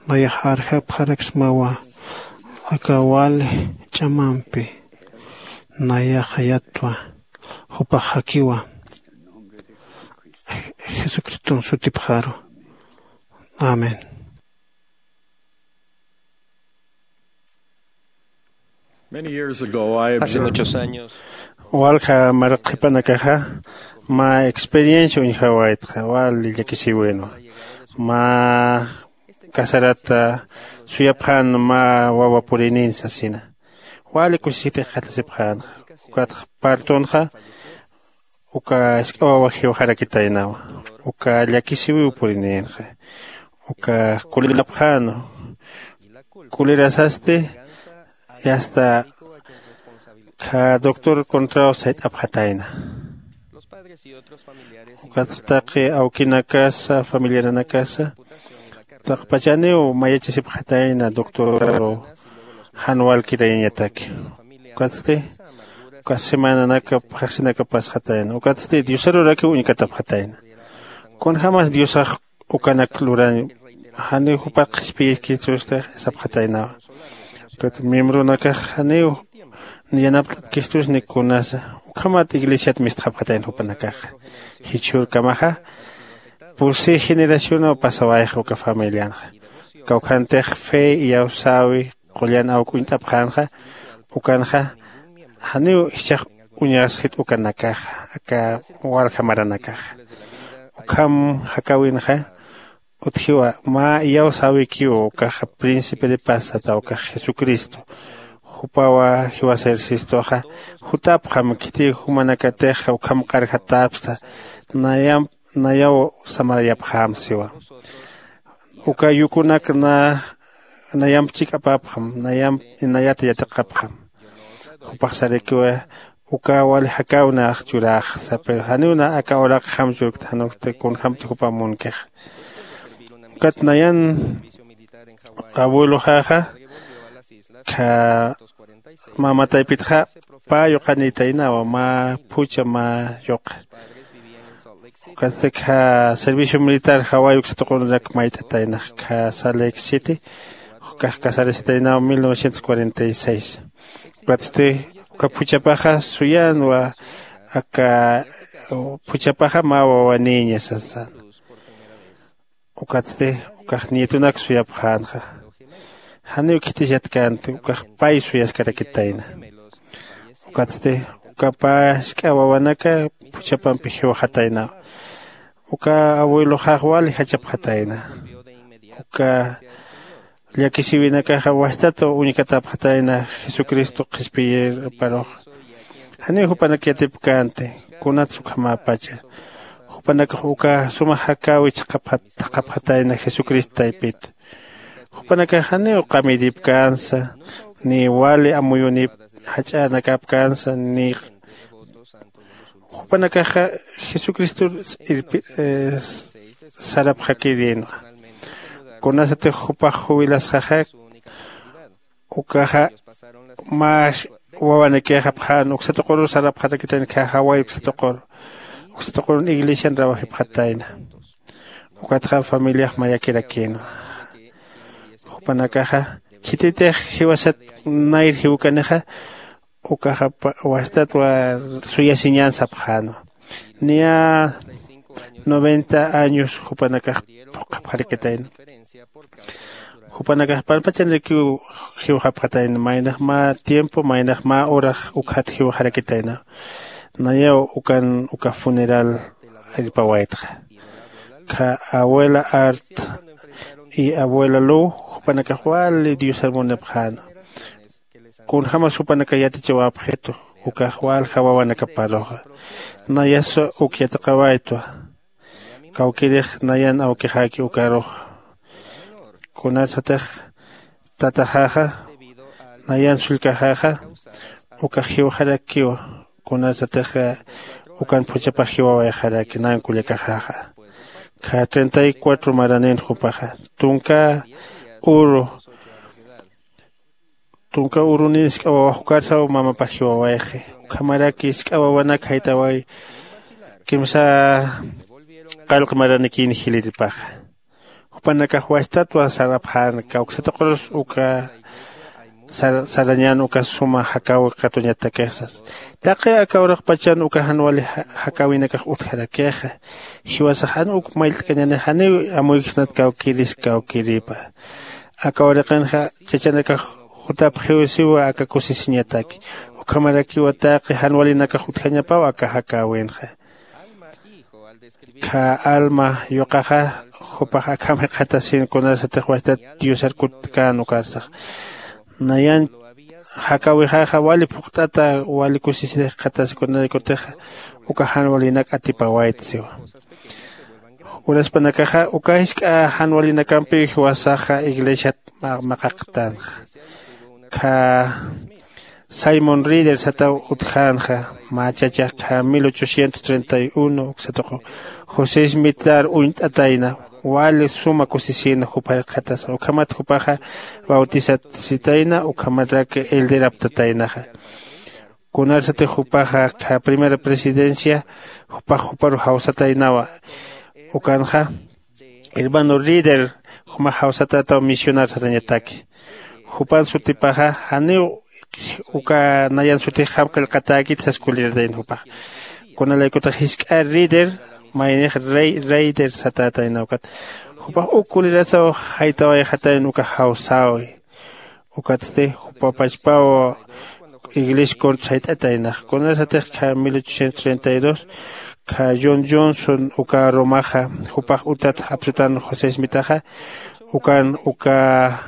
Nayax arjapxaraksmawa. Aka wal ch'amampi nayaxa yattwa. Jupax jakiwa. Jesucriston sutipxaru. Amén. Hace muchos años, walja marqhipanakaxa mä experiencia uñjawaytxa wali llakisiwinwa. Mä casarata suyapxän mä wawa purïnin sasina. Wali kusisipix qhatasipxänxa. Ukatxa partonxa uka isk'a wawa jiwxarakitaynawa. Uka llakisiwiw purinïnxa. Uka kulirapxänu. Kulirasasti yasta kha doctor contraw sayt'apxatayna. Ukatxa taqi awkinakasa familiaranakasa taqpachaniw mayachasipxatayna doctorru jan walkirayañataki. Ukatsti uka semananakap jaqsinakap pasxatayna ukatsti diosarurakiw uñkatapxatayna. Kunjämas diosax ukanak lurañ janiw jupat qhispiyiskistustix sapxataynawa. Ukat miembronakax janiw yanapt'apkistusni kunasa ukhamat iglesiat mistxapxatayna jupanakaxa. Jichhürkamaxa pusi generacionaw pasawayxa uka familianxa. Kawkhantix fe iyawsäwi qullan awk uñt'apxänxa. Ukanxa janiw jichhax uñasxit ukanakaxa aka walja maranakaxa. Ukham jakäwinxa utjiwa mä iyawsäwikiw ukaxa príncipe de paz sata ukax jesucristo. Jupawa jiwasa ejercistoxa jutapxam khiti jumanakatixa ukham qarjatäpsta. Nayamp nayaw samarayapxäm siwa. Uka yukunak nayamp chik'apapxam nayamp nayat yatiqapxam. Jupax sarakiwa uka wali jakäw nax churäxsa pero janiw na aka uraqjam churkta jan uksti kunjämti jupam munkixa. Ukat nayan Abueloxaxa kha mamataypitxa pä yuqanïtaynawa mä phuchha mä yuqa. Ukatsti kha servicio militar jaway uksatuqurunak mayt'ataynax kha salt lake city. Ukax casarasitaynaw mil novecientos cuarenta y seis. Ukatsti uka phuchhapaxa suyanwa aka phuchhapaxa mä wawanïña sasana. Ukatsti ukax nietunak suyapxänxa. Janiw khitis yatkänti ukax pay suyaskarakitayna. Ukatsti uka pä jisk'a wawanaka phuchhapampi jiwxataynawa. Uka abueloxax wali jachapxatayna. Uka llakisïwinakaxa wajtat uñkatapxatayna jesucristo qhispiyiparuxa. Janiw jupanak yatipkänti kunats ukhamäpacha. Jupanakax uka suma jakäwi thaqhapxatayna jesucristo taypita. Jupanakax janiw qamïripkänsa ni wali amuyunïp jach'anakapkänsa ni jupanakaxa jesucristor sarapxakirïnwa. Kunasatix jupax jubilasxaxa ukaxa mä wawanakïxapxän uksatuquru sarapxarakitayna khä jaway uksatuquru. Uksatuqurun iglesian trabajipxatayna. Ukatxa familiax mayakirakïnwa. Jupanakaxa khititix jiwasat nayr jiwkanixa ukaxa wajtat suyasiñän sapxänwa. Niya noventa años jupanakax phuqhapxarakitayna. Jupanakax panpachanirakiw jiwxapxatayna maynax mä tiempo maynax mä horax ukxat jiwxarakitayna. Nayaw ukan uka funeral irpawaytxa. Kha abuela art y abuela lu jupanakax wali diosar munapxäna. Kunjämas jupanakax yatichawapxitu ukax walja wawanakaparuxa. Nayasa uk yatiqawaytwa. Kawkïrix nayan awkixäki ukarux. Kunasatix tataxaxa nayan sullkaxaxa ukax jiwxarakiwa. Kunasatix ukan phuchhapax jiwawayxaraki nan kullakaxaxa. Kha treinta y cuatro maranin jupaxa tunka uru tunka urunin jisk'a wawax ukarsaw mamapax jiwawayxi. Ukhamaraki jisk'a wawanak jaytaway kimsa qallq maranikïn jiliripaxa. Jupanakax wajtatwa sarapxän kawksatuqurus uka sarañän uka suma jakäwi katuñatakix sasa. Taqi aka uraqpachan uka jan wali jakäwinakax utjarakixa. Jiwasax jan uk mayllt'kañanix janiw amuyksnat kawkïris kawkïripa. Aka uraqinxa chachanakax jutapxiw siwa aka kusisiñataki. Ukhamarakiwa taqi jan walinakax utjañapaw aka jakäwinxa. Kha alma yuqaxa jupax akham jikxatasin kunasatix wajtat diosar kutkän ukarsax. Nayan jakäwixaxa wali phuqt'ata wali kusisir jikxatasi kunaraykutixa uka jan walinak atipawayta siwa. Uraspanakaxa uka jisk'a jan walinakampiw jiwasaxa iglesiat maqaqtanxa. Kha simon rider sataw utjänxa. Mä chacha kha mil ochocientos treinta y uno uksatuqu josé smitar uñt'atayna. Wali suma kusisïna jupar jikxatasa ukhamat jupaxa bautisasitayna ukhamarak elderaptataynaxa. Kunarsatix jupaxa kha primera presidencia jupax juparu jawsataynawa. Ukanxa hermano rider jumax jawsatätaw misionar satañataki. Jupan sutipaxa janiw uka nayan sutixjam qillqatäkit sas kuliratayna jupax. Kunalaykutax jisk'a rider maynix rey rider satätayna ukat jupax uk kulirasaw jaytawayxatayna uka jawsäwi. Ukatsti jupapachpaw iglesia contra sayt'ataynax kunasatix kha mil ochocientos treinta y dos kha john johnson uka romaxa jupax utat apsutan josé smitaxa. Ukan uka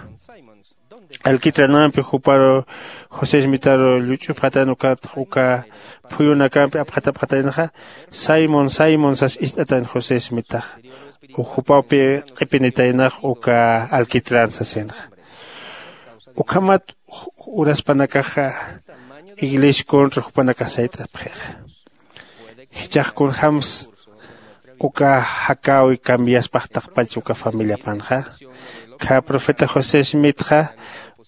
alquitranampi juparu josé smitaru lluch'upxatan ukat uka phuyunakampi apxatapxataynaxa. Simon simon sas ist'atan josé smitaxa. Uk jupawpi q'ipinitaynax uka alquitran sasinxa. Ukhamat uraspanakaxa iglesia contra jupanakax sayt'apxixa. Jichhax kunjämsa uka jakäwi cambiaspax taqpach uka familiapanxa. Kha profeta José Smithxa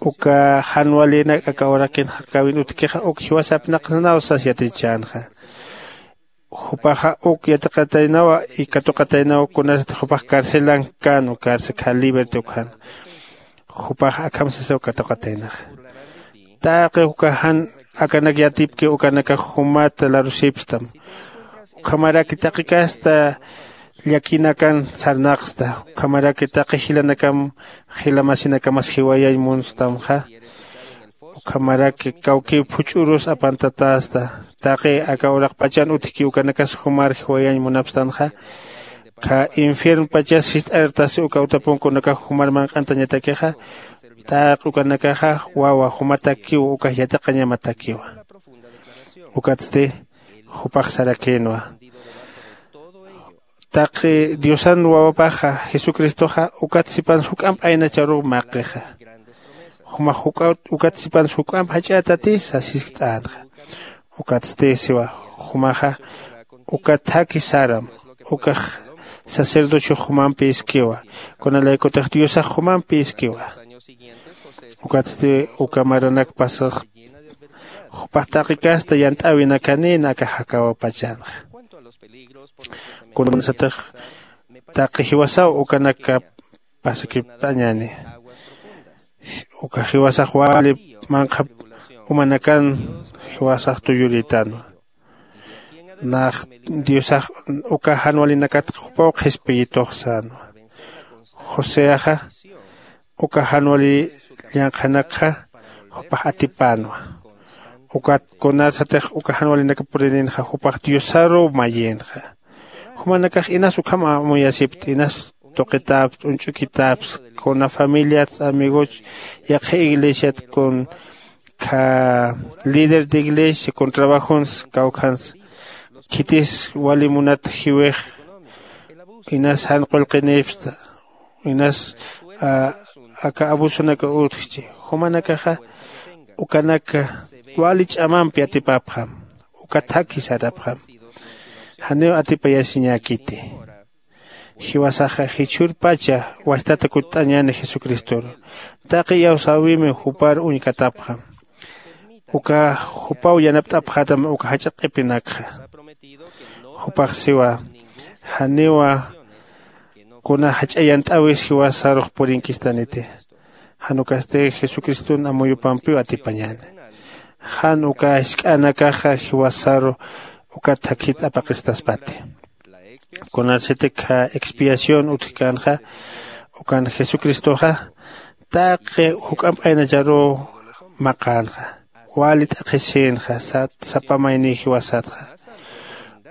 uka jan walinak aka urakin jakäwin utjkixa uk jiwasapnaqsnaw sas yatichänxa. Jupaxa uk yatiqataynawa y katuqataynawa kunasat jupax carcelan kän ukarsa kha libertad ukjan. Jupax akham sasaw katuqataynaxa. Taqi uka jan akanak yatipki ukanakax jumata larusipstam. Ukhamaraki taqi kasta llakinakan sarnaqsta. Ukhamaraki taqi jilanakam jila masinakamas jiwayañ munstamxa. Ukhamaraki kawkiw phuch'urus apantatästa. Taqi aka uraqpachan utjki ukanakas jumar jiwayañ munapstanxa. Kha infiernpachas sist'artasi uka utapunkunakax jumar manq'antañatakixa. Taqi ukanakaxa wawa jumatakiw ukax yatiqañamatakiwa. Ukatsti jupax sarakïnwa. Taqi diosan wawapaxa jesucristoxa ukat sipans juk'amp aynacharuw maqixa. Jumax juk'at ukat sipans juk'amp jach'ätati sasiskt'änxa. Ukatsti siwa jumaxa uka thakhi saram. Ukax sacerdocio jumampi iskiwa. Kunalaykutix diosax jumampi iskiwa. Ukatsti uka maranak pasax jupax taqi kasta yant'äwinakanïn aka jakäwapachanxa. Kunasatix taqi jiwasaw ukanaka pasakipt'añäni. Uka jiwasax wali manqhap umanakan jiwasax tuyurïtänwa. Nax diosax uka jan walinakat jupaw qhispiyitux sänwa. Joseaxa uka jan wali llanqhanakxa jupax atipänwa. Ukat kunasatix uka jan walinakap purininxa jupax diosaruw mayïnxa. Jumanakax inas ukham amuyasipti inas tuqitäpsti uñch'ukitäpsti kuna familiats amigoch yaqha iglesiat kun kha líder de iglesia kun trabajons kawkhans khitis wali munat jiwix inas jan qullqinïpsta inas aka abusonak utjchi. Jumanakaxa ukanak wali ch'amampi atipapxam uka thakhi sarapxam. Janiw atipayasiñäkiti. Jiwasaxa jichhürpacha wajtata kutt'añäni jesucristoru. Taqi iyawsäwimi jupar uñkatapxam. Uka jupaw yanapt'apxätam uka jach'a q'ipinakxa. Jupax siwa janiwa kuna jach'a yant'äwis jiwasarux purinkistäniti. Jan ukasti jesucriston amuyupampiw atipañäni. Jan uka jisk'anakaxa jiwasaru uka thakhit apaqistaspati. Kunasiti kha expiación utjkänxa ukan jesucristoxa taqi juk'amp aynacharuw maqänxa. Wali t'aqhisïnxa sapa mayniy jiwasatxa.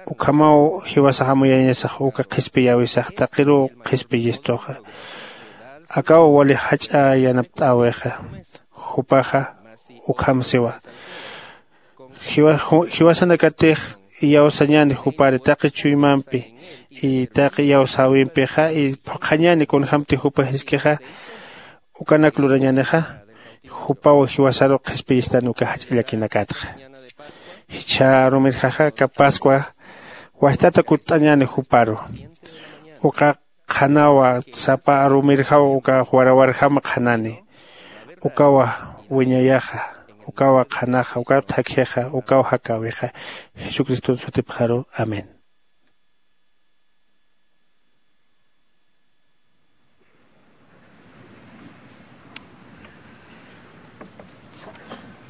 Ukhamaw jiwasax amuyañasax uka qhispiyäwisax taqiruw qhispiyistuxa. Akaw wali jach'a yanapt'äwixa. Jupaxa ukham siwa jiwasanakatix iyawsañäni jupari taqi chuymampi y taqi iyawsäwimpixa y phuqhañäni kunjämti jupa jiskixa. Ukanak lurañänixa jupaw jiwasaru qhispiyistan uka jach'a llakinakatxa. Jichha arumirjaxa aka pascua wajtata kutt'añäni juparu. Uka qhanawa sapa arumirjaw uka warawarjam qhanani. Ukawa wiñayaxa ukawa qhanaxa ukaw thakhixa ukaw jakäwixa jesucriston sutipxaru. Amén.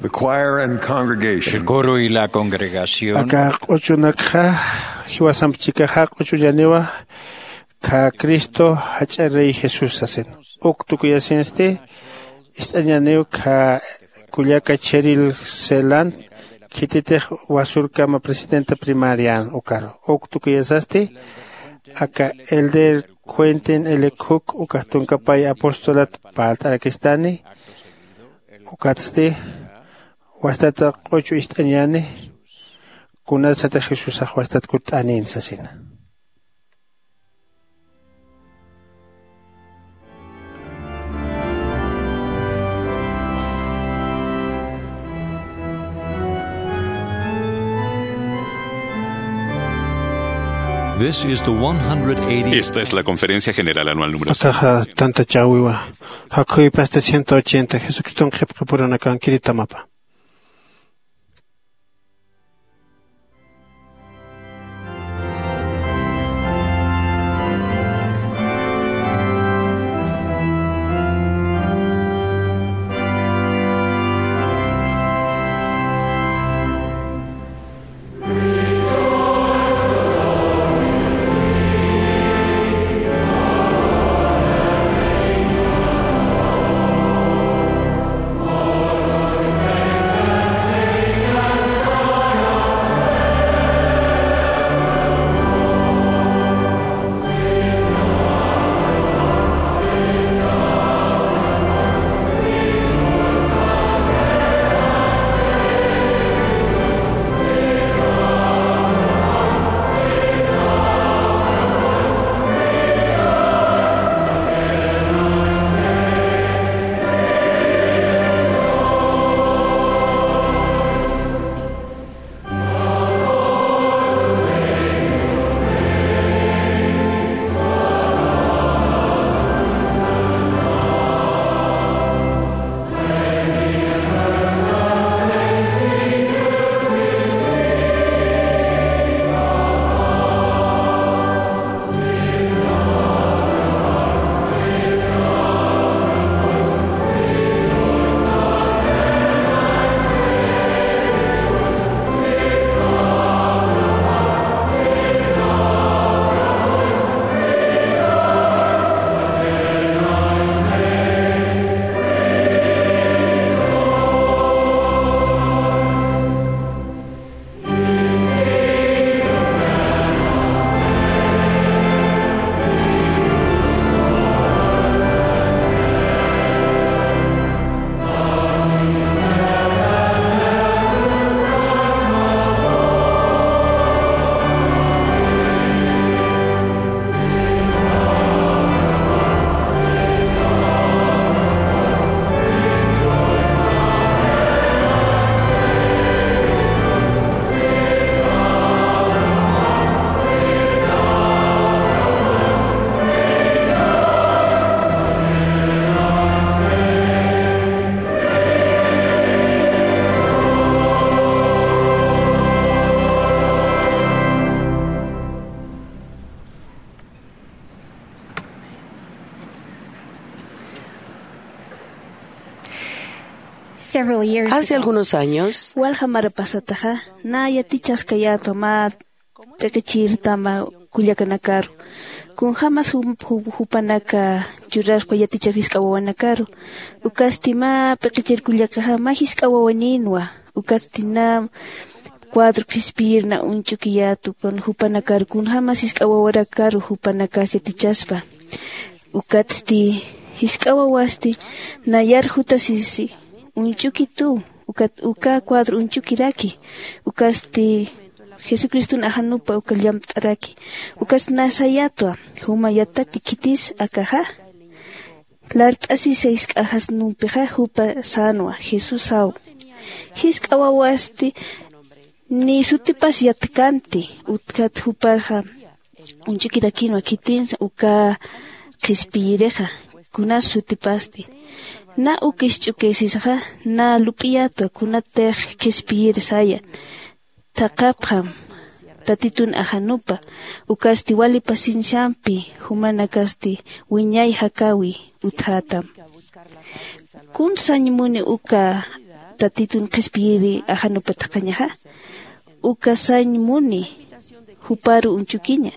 The choir and congregation. El coro y la congregación. Aka q'uchunakxa jiwasamp chikaxa q'uchullaniwa. Kha cristo jach'a rey jesús sasin uk tukuyasinsti. Ist'añaniw kha kullaka cheril selan khititix wasurkama presidenta primarian ukaru uk tukuyasasti. Aka elder cuentin elekhuk ukax tunkapay apostolat parlt'arakistani. Ukatsti wajtata q'uchu ist'añäni. Kunasatix jesusax wajtat kutt'anin sasina. This is the one hundred eighty. Esta es la Conferencia General Anual número. Akaxa tantachäwiwa. Jakhuypasti ciento ochenta Jesucriston qhipqipurunakankiritamapa. Several years Hace ago, algunos años, walja mara pasataxa, na yatichaskayätwa mä p'iqichirtama kullakanakaru. Kunjämas jum- ju- jupanaka churaskwa yatichaw jisk'a wawanakaru. Ukasti mä p'iqichir kullakaxa mä jisk'a wawanïnwa. Ukasti na cuadro qhispiyirna uñch'ukiyätwa kun jupanakaru, kunjämas jisk'a wawarakaru jupanakas yatichaspa. Ukatsti jisk'a wawasti nayar jutasisi uñch'ukituw, ukat uka cuadro uñch'ukiraki. Ukasti Jesucriston ajanupa uka llampt'araki. Ukasti na sayätwa, juma yatati khitis akaxa. Lart'asisa jisk'a jasnumpixa jupa sänwa, Jesúsaw. Jisk'a wawasti ni sutipas yatkanti, utjat jupaxa uñch'ukirakïnwa khitinsa uka qhispiyirixa, kunas sutipasti. Na uk isch'ukisisaxa, na lup'iyätwa kunatix qhispiyir saya. Thaqhapxam Tatitun ajanupa, ukasti wali pacienciampi jumanakasti wiñay jakäwi utjätam. Kun sañ muni uka Tatitun qhispiyiri ajanupa thaqhañaxa? Uka sañ muni juparu uñch'ukiña.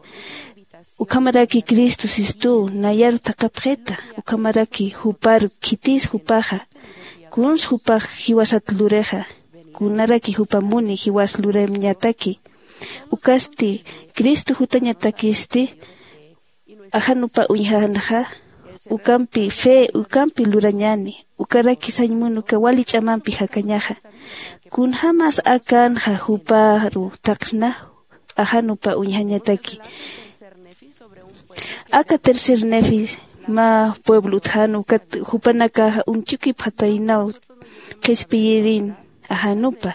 Ukhamaraki Cristo sistuw nayaru thaqhapxita, ukhamaraki juparu khitis jupaxa, kuns jupax jiwasat lurixa, kunaraki jupa muni jiwas lurayamñataki. Ukasti Cristo jutañatakisti ajanupa uñjanxa, ukampi fe, ukampi lurañäni, ukaraki sañ muni uka wali ch'amampi jakañaxa. Kunjämas akänxa juparu thaqsna, ajanupa uñjañataki. Aka tercer Nefi mä pueblo utjän, ukat jupanakaxa uñch'ukipxataynaw qhispiyirin ajanupa.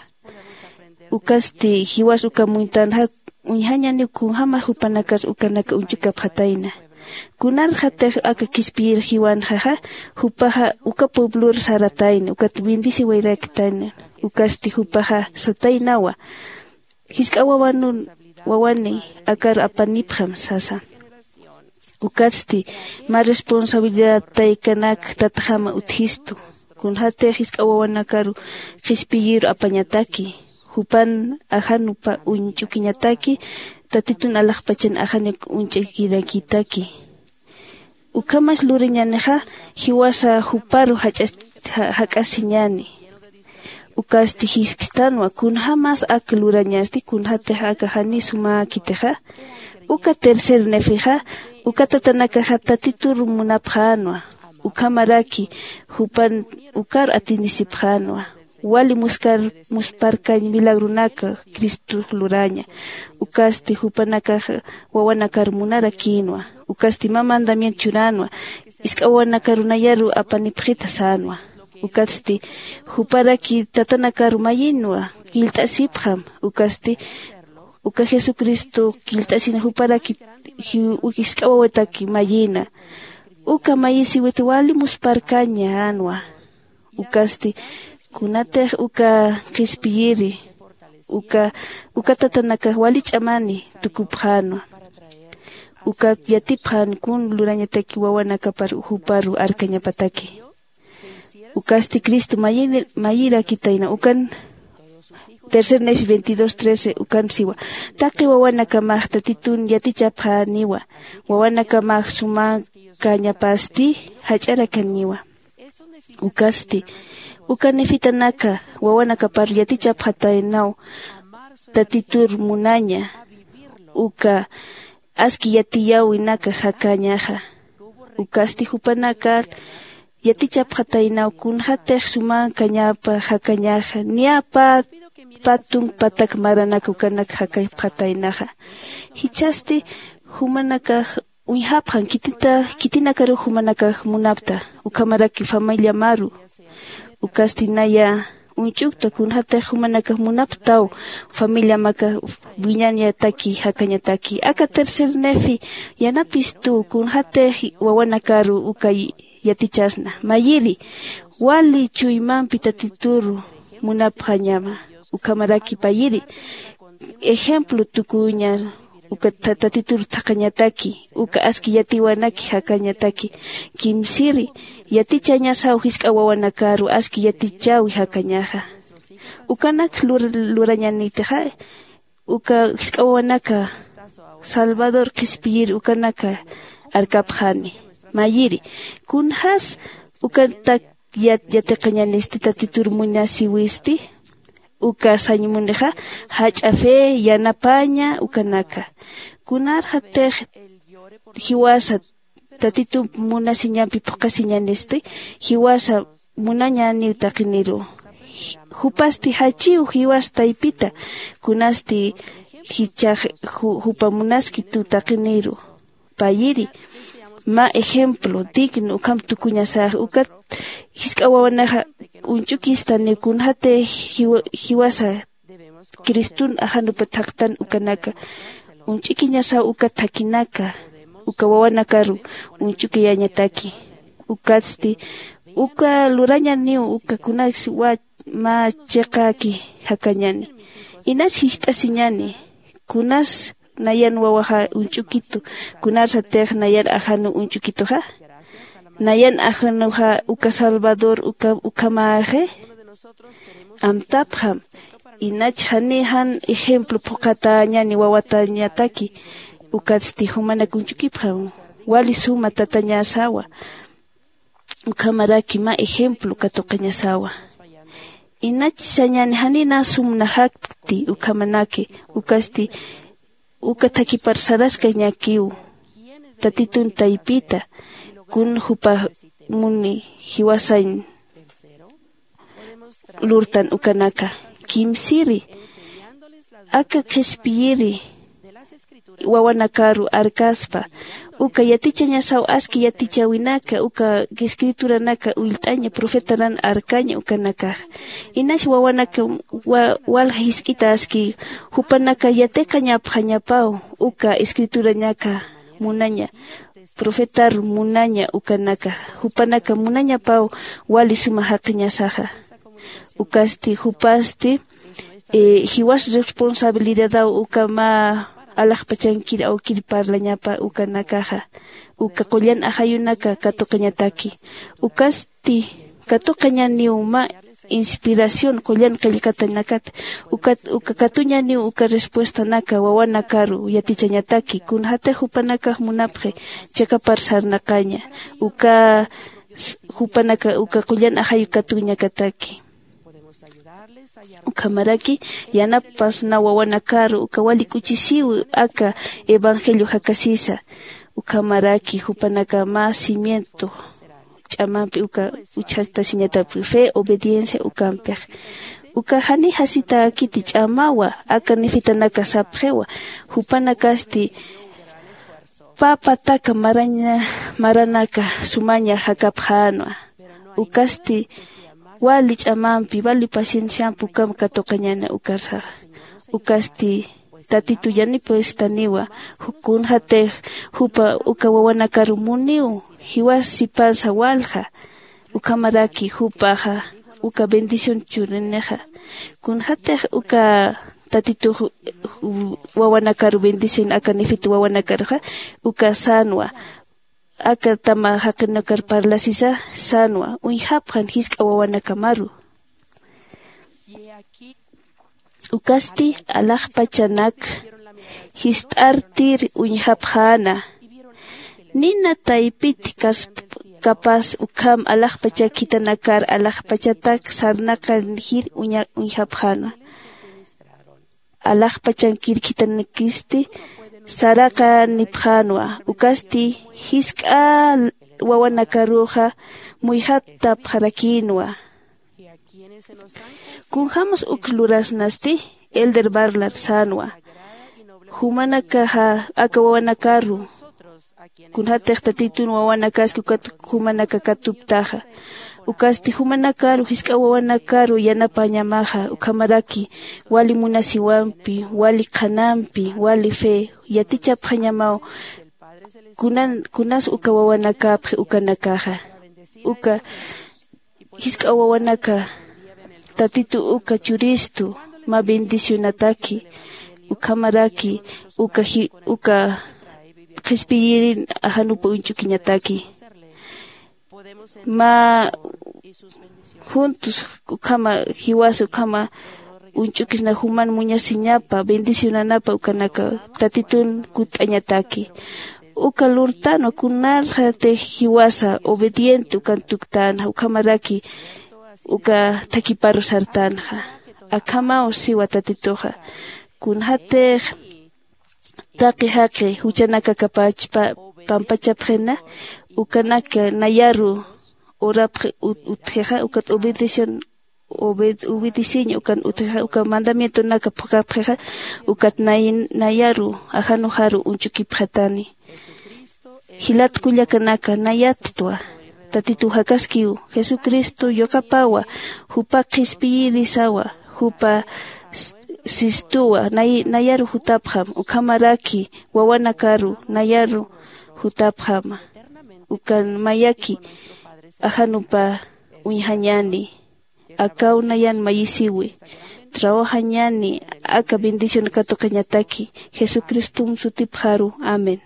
Ukasti jiwas uka muñtanxa uñjañaniw kunjämar jupanakar ukanaka uñch'ukapxatayna. Kunarxatix aka qhispiyir jiwanxaxa jupaxa uka pueblor saratayna ukat bendeciwayrakitayna. Ukasti jupaxa sataynawa, jisk'a wawanun wawani akar apanipxam sasa. Ukatsti mä responsabilidad taykanak tatxama utjistu. Kunxatix jisk'a wawanakaru qhispiyiru apañataki, jupan ajanupa uñch'ukiñataki, tatitun alaxpachan ajanak uñch'akirakitaki. Ukhamas lurañänixa jiwasa juparu jak'asiñäni. Ukasti jiskstanwa kunjämas ak lurañasti kunjätix aka janiw sumäkitixa. Uka tercer nefixa uka tatanakaxa tatitur munapxänwa. Ukhamaraki jupan ukar atinisipxänwa. Wali muskar musparkañ milagronak cristox luraña. Ukasti jupanakax wawanakar munarakïnwa. Ukasti mä mandamiento churänwa, jisk'a wawanakaru nayaru apanipxita sänwa. Ukatsti juparaki tatanakaru mayinwa, killt'asipxam. Ukasti uka jesucristo killt'asina juparaki jisk'a wawataki mayina. Uka mayisiwit wali musparkañänwa. Ukasti kunatix uka qhispiyiri uka uka tatanakax wali ch'amani tukupxänwa. Ukat yatipxän kun lurañataki wawanakapar juparu arkañapataki. Ukasti cristo mayirakitayna ukan tercer nefi veintidós trece ukan siwa. Taqi wawanakamax tatitun yatichapxäniwa. Wawanakamax sumäkañapasti jach'arakaniwa. Ukasti uka nefitanaka wawanakapar yatichapxataynaw tatitur munaña. Uka aski yatiyäwinaka jakañaxa. Ukasti jupanakar yatichapxataynaw kunxatix sumäkañapa jakañaxa niya pä pä tunk patak maranak ukanak jakapxataynaxa. Jichhasti jumanakax uñjapxan khitinakaruw jumanakax munapta ukhamaraki familiamaru. Ukasti naya uñch'ukta kunxatix jumanakax munaptaw familiamakax wiñañataki jakañataki aka tercer nefi yanapistuw kunxatix wawanakaru uka yatichasna mayiri wali chuymampi tatituru munapxañama. Ukhamaraki payiri ejemplo tukuña uka tatitur thaqhañataki uka aski yatiwanaki jakañataki. Kimsiri yatichañasaw jisk'a wawanakaru aski yatichäwi jakañaxa. Ukanak lurañanitixa uka jisk'a wawanaka salvador qhispiyir ukanaka arkapxani. Mayiri kunjäs ukatak yatiqañanisti tatitur munasiwisti? Uka sañ munixa jach'a fe yanapaña ukanaka. Kunarxatix jiwasa tatitu munasiñampi phuqhasiñanisti jiwasa munañäniw taqiniru. Jupasti jachiw jiwas taypita kunasti jichhax jupa munaskituw taqiniru. Payiri mä ejemplo digno ukham tukuñasax ukat jisk'a wawanaxa uñch'ukistaniw kunxatix jiwasa cristun ajanupa thaqtan ukanaka uñch'ikiñasaw uka thakinaka uka wawanakaru uñch'ukiyañataki. Ukatsti uka lurañaniw uka kunaks mä chiqäki jakañani. Inas jist'asiñani kunas nayan wawaxa uñch'ukitu? Kunarsatix nayan ajanuw uñch'ukituxa nayan ajanuxa uka salvador uka ukhamäxi? Amtapxam. Inach janiy jan ejemplo phuqhatäñani wawatañataki. Ukatsti jumanak uñch'ukipxam wali suma tatañasawa. Ukhamaraki mä ejemplo katuqañasawa. Inach sañani janina sumnaxakti ukhamanaki. Ukasti uka thakipar saraskañakiw tatitun taypita kun jupa muni jiwasañ lurtan ukanaka. Kimsiri aka qhispiyiri wawanakaru arkaspa Uka yatichañasaw aski yatichäwinaka uka escrituranaka ullt'aña profetaran arkaña ukanakaxa. Inas wawanaka wa- walja jisk'ita aski jupanaka yatiqañapxañapaw uka escriturañaka munaña profetar munaña ukanaka jupanaka munañapaw wali suma jaqiñasaxa. Ukasti jupasti eh, jiwas responsabilidadaw uka mä alaxpachankir awkir parlañapa ukanakaxa uka qullan ajayunaka katuqañataki. Ukasti katuqañaniw mä inspiración qullan qillqatanakat ukat uka katuñaniw uka respuestanaka wawanakaru yatichañataki kunjatix jupanakax munapxi chakapar sarnaqaña uka s- jupanaka uka qullan ajayu katuñakataki. Ukhamaraki yanapasna wawanakaru uka wali k'uchisiw aka evangelio jakasisa. Ukhamaraki jupanaka mä cimiento ch'amampi uka uchjatasiñatapki fe obediencia ukampix uka jani jasitäkiti ch'amawa aka nifitanaka sapxiwa. Jupanakasti pä pataka maraña maranaka sumaña jakapxänwa. Ukasti wali ch'amampi wali pacienciampi ukham katuqañäni ukarsaxa. Ukasti tatitu yanipastaniwa kunjatix jupa uka wawanakaru muniw jiwas sipansa walja. Ukhamaraki jupaxa uka bendición churinixa kunjatix uka tatitux wawanakaru bendición aka nifit wawanakaruxa uka sänwa aka tama jaqinakar parlasisa sänwa uñjapxan jisk'a wawanakamaru. Ukasti alaxpachanak jist'artir uñjapxäna nina taypit kas- kapas ukham alaxpachak khitanakar alaxpachatak sarnaqan jir uña- uñjapxäna. Alaxpachankir khitanakisti saraqanipxänwa ukasti jisk'a wawanakaruxa muyjatapxarakïnwa. Kunjämas uk lurasnasti elder barlar sänwa jumanakaxa aka wawanakaru kunjatix tatitun wawanakaski ukat jumanaka katuptaxa. Ukasti jumanakaru jisk'a wawanakaru yanapañamaxa ukhamaraki wali munasiwampi wali qhanampi wali fe yatichapxañamaw kunan kunas uka wawanakapxi ukanakaxa. Uka jisk'a wawanaka tatitu uka churistu mä bendicionataki ukhamaraki uka ji- uka qhispiyirin ajanupa uñch'ukiñataki. Mä juntos ukhama jiwasa ukhama uñch'ukisna juman muñasiñapa bendicionanapa ukanaka tatitun kutt'añataki. Uka lurtanwa kunarxatix jiwasa obediente ukan tuktänxa ukhamaraki uka thakiparu sartänxa. Akhamaw siwa tatituxa kunjatix taqi jaqi juchanaka kapachpa pampachapxina ukanaka nayaru urapxi ut- utjixa ukat obedicion obed- obediciña ukan utjixa uka mandamientonaka phukapxixa ukat nay- nayaru ajanuxaru uñch'ukipxatani. Jilat kullakanaka nayattwa tatitu jakaskiw jesucristo yuqapawa jupa qhispiyirisawa jupa s- sistuwa nay- nayaru jutapxam ukhamaraki wawanakaru nayaru jutapxama. Ukan mayaki ajanupa uñjañäni akaw nayan mayisiwi trawajañäni aka bendición katuqañataki jesucristom sutipxaru. Amén.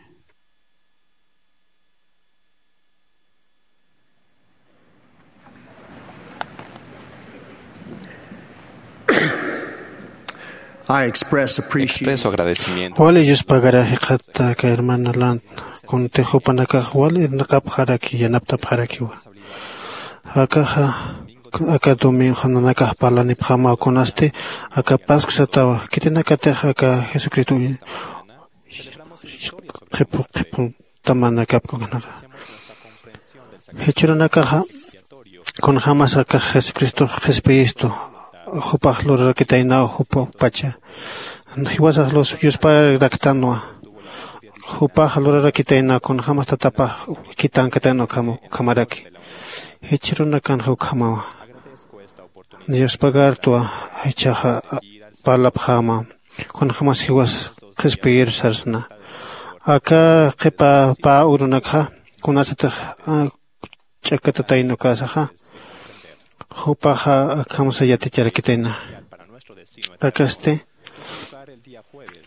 I express appreciation. Expreso agradecimiento. Wali Dios pagara jiqata aka hermana Land kunti jupanakax wali irnaqapxaraki yanaptapxarakiwa. Akaxa aka domingo nanakax parlanipxamaw kunasti aka pascu satawa khitinakatix aka jesucristo qhipu qhipu tamanakapkuknaxa. Jichhürunakaxa kunjämas akax jesucristox qhispiyistu jupax lurarakitaynaw jupapacha jiwasax lus yusparaktanwa. Jupax lurarakitayna kunjämas tatapax kitankatayna ukhamaraki. Jichhürunakanxa ukhamawa. Diospagartwa jichhaxa parlapxäma kunjämas jiwas qhispiyir sarsna. Aka qhipa pä urunakxa kunasatix ch'akkatatayna ukasaxa jupaxa akham sayaticharakitayna. Akasti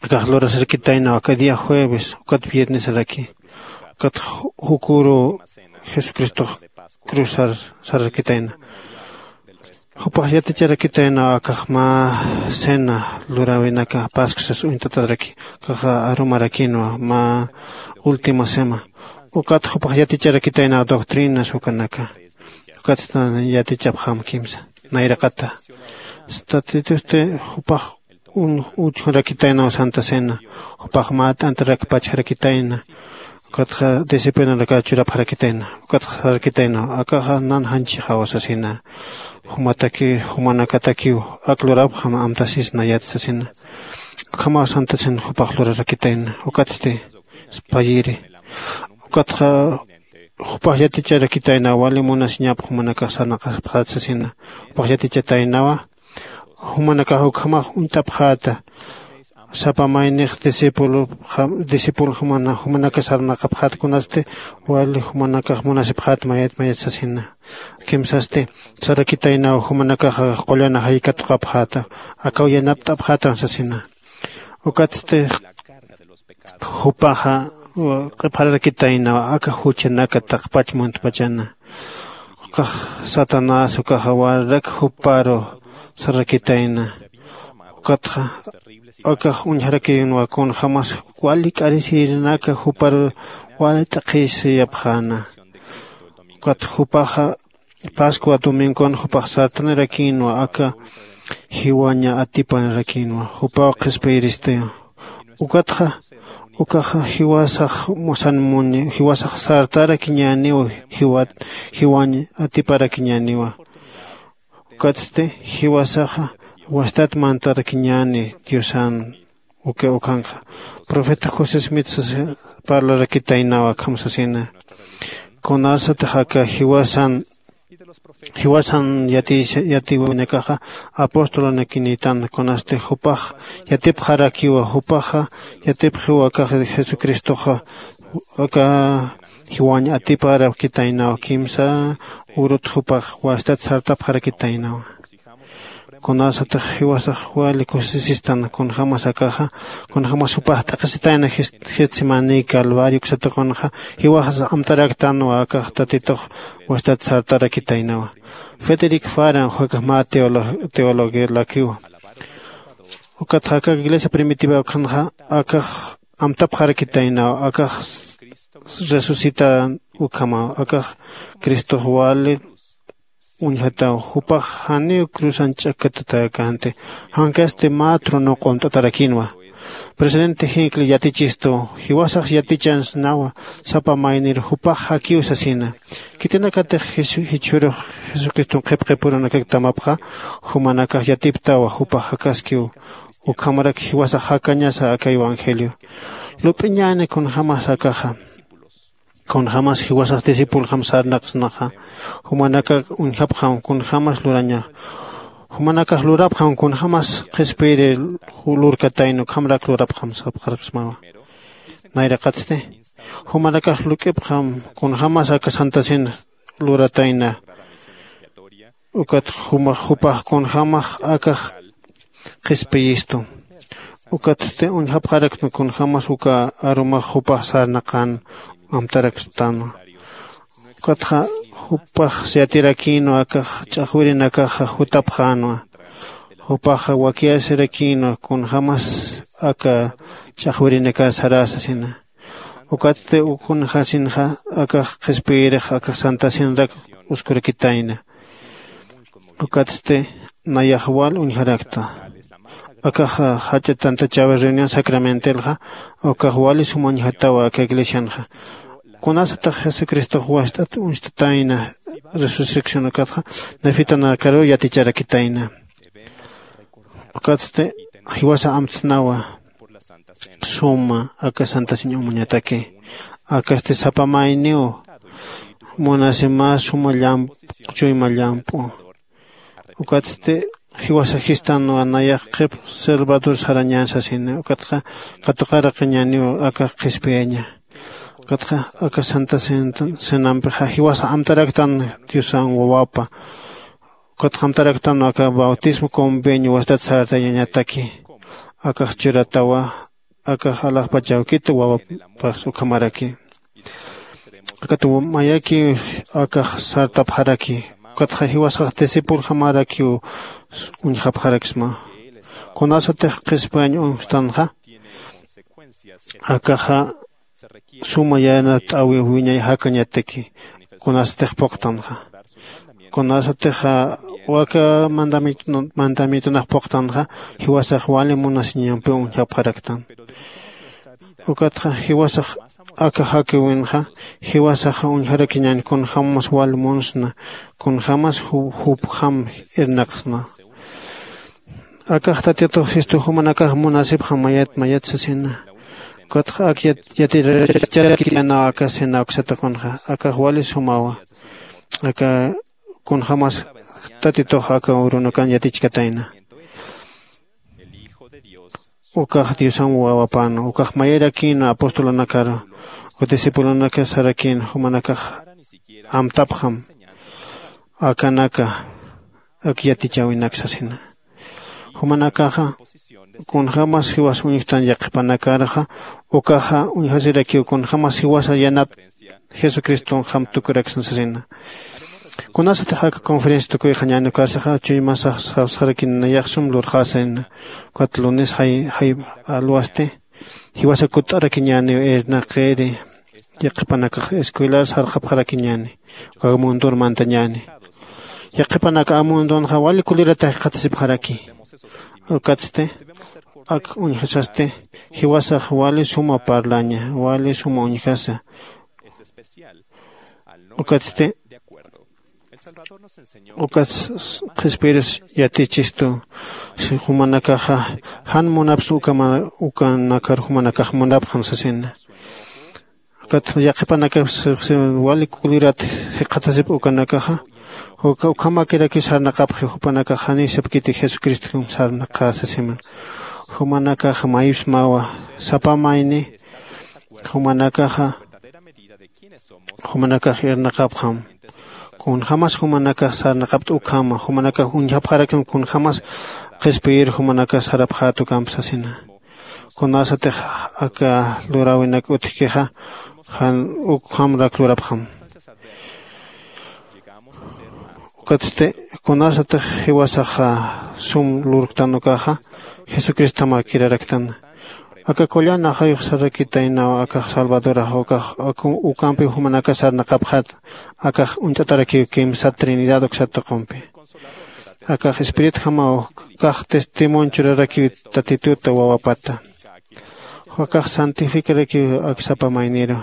akax lurasarkitayna aka día jueves ukat viernesaraki ukat jukuru jesucristox cruzar sararkitayna. Jupax yaticharakitayna akax mä cena luräwinaka pascusas uñtataraki akaxa arumarakinwa mä última sema. Ukat jupax yaticharakitayna doctrinas ukanaka. Ukat yatichapxam kimsa nayraqata statitusti jupax un uchjurakitaynaw santa cena. Jupax mä t'antarak pachjarakitayna. Ukatxa disciplinaraka churapxarakitayna. Ukatxa sarakitaynaw akaxa nan janchixaw sasina. Jumataki jumanakatakiw ak lurapxam amtasisna yat sasina. Ukhamaw santa cena jupax lurarakitayna ukatsti spayiri. Ukatxa jupax yaticharakitayna wali munasiñap jumanakax sarnaqapxät sasina. Jupax yatichataynawa jumanakax ukhamax uñt'apxäta. Sapa maynix discípulo discípulo jumanaka sarnaqapxät kunasti wali jumanakax munasipxät mayat mayat sasina. Kimsasti sarakitaynaw jumanakaxa qullana jaykatuqapxäta. Akaw yanapt'apxätan sasina. Ukatsti jupaxa q'ipxararakitaynaw aka juchanaka taqpach muntpachana. Ukax satanás ukaxa wararak juparu sarakitayna. Ukatxa akax uñjarakïnwa kunjämas wali k'arisirinaka juparu wali t'aqhisiyapxäna. Ukat jupaxa pascua domingon jupax sartanirakïnwa aka jiwaña atipanirakïnwa jupaw qhispiyiristiw. Ukatxa ukaxa jiwasax musan muñi jiwasax sartarakiñäniw jiwat jiwañ atiparakiñäniwa. Ukatsti jiwasaxa wastat mantarakiñäni diosan. Uka ukanxa profeta josé smith sasa parlarakitaynaw akham sasina. Kunasatix aka jiwasan jiwasan yatiwinakaxa apostolanakinïtan kunasti jupax yatipxarakiwa jupaxa yatipxiw akax jesucristoxa aka jiwañ atiparakitaynaw kimsa urut jupax wastat sartapxarakitaynawa. Kunasatix jiwasax wali kusisistan kunjämas akaxa kunjämas jupax t'aqhisitayna getsemaní calvario uksatuqunxa jiwaxas amtaraktanwa akax tatitux wastat sartarakitaynawa. Federic faran jukax mä teologelakiwa. Ukatxa akax iglesia primitiva ukhanxa akax amtapxarakitaynaw akax resucitan ukhamaw akax cristox wali uñjataw jupax janiw cruzan ch'akkatatäkänti. Jankasti mä trono q'unt'atarakïnwa. Presidente jinkli yatichistu jiwasax yatichansnawa sapa maynir jupax jakiw sasina. Khitinakatix jichhürux jesucriston qhipqipurunakak tamapxa jumanakax yatiptawa jupax jakaskiw. Ukhamarak jiwasax jakañasa aka evangelio lup'iñäni kunjämas akaxa kunjämas jiwasax discipuljam sarnaqsnaxa jumanakak uñjapxam kunjämas lurañax jumanakax lurapxam kunjämas qhispiyiri lurkatayna ukhamarak lurapxam sapxaraksmawa. Nayraqatsti jumanakax luk'ipxam kunjämas aka santasin luratayna. Ukat jumax jupax kunjämax akax qhispiyistu. Ukatsti uñjapxarakna kunjämas uka arumax jupax sarnaqän amtaraktanwa. Ukatxa jupax siyatirakïnwa akax ch'axwirinakaxa jutapxänwa. Jupaxa wakiyasirakïnwa kunjämas aka ch'axwirinakar sarä sasina. Ukatsti ukunxasinxa akax qhispiyirix akax santasinrak uskurakitayna. Ukatsti nayax wal uñjarakta akax jach'a tantachäwi reunión sacramentalxa ukax wali sum uñjatawa aka iglesianxa. Kunasatix jesucristox wast'at uñstatayna resurrección ukatxa nefitanakaruw yaticharakitayna. Ukatsti jiwasa amtsnawa suma aka santasiñ umañataki. Akasti sapa mayniw munasi mä suma llamp'u, chuyma llamp'u. Ukatsti jiwasa jistan wanayax qhip salvador sarañän sasini. Ukatxa katuqaraqiñäniw aka qhispiyaña. Ukatxa aka santa cenampixa jiwasa amtaraktan diosan wawapa. Ukatxa amtaraktan aka bautismo convenio wastat sartayañataki. Akax churatawa akax alaxpachawkit wawapax ukhamaraki. Akat mayaki akax sartapxaraki. Ukatxa jiwasax discipuljamarakiw uñjapxaraksma. Kunasatix qhispiyañ uñstanxa akaxa suma yanat'awi wiñay jakañataki. Kunasatix puqtanxa kunasatix waka mandamientonax puqtanxa jiwasax wali munasiñampiw uñjapxaraktan. Ukatxa jiwasax aka jakiwinxa jiwasax uñjarakiñäni kunjämas wal munsna kunjämas jupjam irnaqsna. Akax tatitux jistu jumanakax munasipxam mayat mayat sasina. Ukatxa ak yaticharakiñänaw aka cena uksatuqunxa akax wali sumawa. Aka kunjämas tatitux aka urunukan yatichkatayna. Ukax diosan wawapäna ukax mayarakïna apostolunakaru. Uka discipulunaka sarakïna jumanakax amtapxam akanaka ak yatichäwinak sasina. Jumanakaxa kunjämas jiwas uñjtan yaqhipanakarxa ukaxa uñjasirakiw kunjämas jiwasa yanap jesucristonjam tukuraksna sasina. Kunasatix aka conferencia tukuyxañäni ukarsaxa chuymasax sawsxarakin nayax sum lurxäsina. Ukat lunes jay jay alwasti jiwasa kutt'arakiñäniw irnaqiri. Yaqhipanakax escuelar sarxapxarakiñäni ukax mundor mantañäni. Yaqhipanaka amundonxa wali kulirata jikxatasipxaraki. Ukatsti ak uñjasasti jiwasax wali suma parlaña wali suma uñjasa. Ukatsti ukat qhispiyiris yatichistu jumanakaxa jan munapsa ukanakar jumanakax munapxam sasina. Ukat yaqhipanakax wali kulirat jikxatasip ukanakaxa uka ukhamakirakiw sarnaqapxi jupanakax janiy sapkiti jesucristom sarnaqä sasiman. Jumanakaxa maypsmawa sapa mayni jumanakaxa jumanakax irnaqapxam. Kunjämas jumanakax sarnaqapt'u ukhama jumanakax uñjapxarakim kunjämas qhispiyir jumanakax sarapxät ukamp sasina. Kunasatix aka luräwinak utjkixa jan ukham rak lurapxam. Ukatsti kunasatix jiwasaxa sum lurktan ukaxa jesucristomar kiraraktan. Aka qullan ajayux sarakitaynaw akax salvadorax ukax ukampiw jumanakax sarnaqapxät. Akax uñt'atarakiw kimsa trinidad uksat tuqumpi. Akax espiritujamaw kax testimonio churarakiw tatituta wawapata. Akax santificarakiw ak sapa mayniru.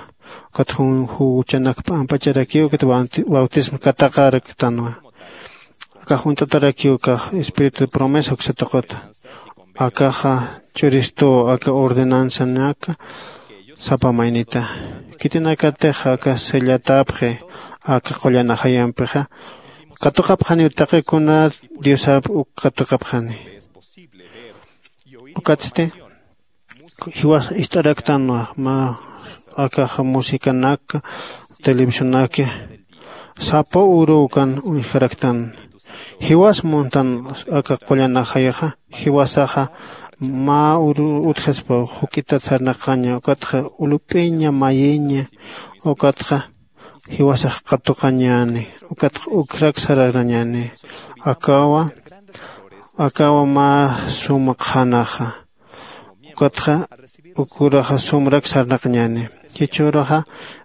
Ukat juchanak p'ampacharakiw ukat bautismo kataqaraktanwa. Akax uñt'atarakiw kax espíritu promesa uksa tuquta. Akaxa ch'uristuw aka ordenanzanaka sapa maynita. Khitinakatix aka sellatäpxi aka qullan ajayampixa katuqapxaniw taqi kuna diosap uk katuqapxani. Ukatsti jiwas ist'araktanwa mä akaxa musicanaka televisionaki sapa uruw kan uñjaraktan. Jiwas muntan aka qullan ajayaxa jiwasaxa mä uru utjaspa juk'itat sarnaqaña ukatxa ulup'iña mayiña ukatxa jiwasax qatuqañäni. Ukatxa ukrak sararañäni akawa akawa mä suma qhanaxa. Ukatxa ukuraxa sumrak sarnaqañäni. Jichhüruxa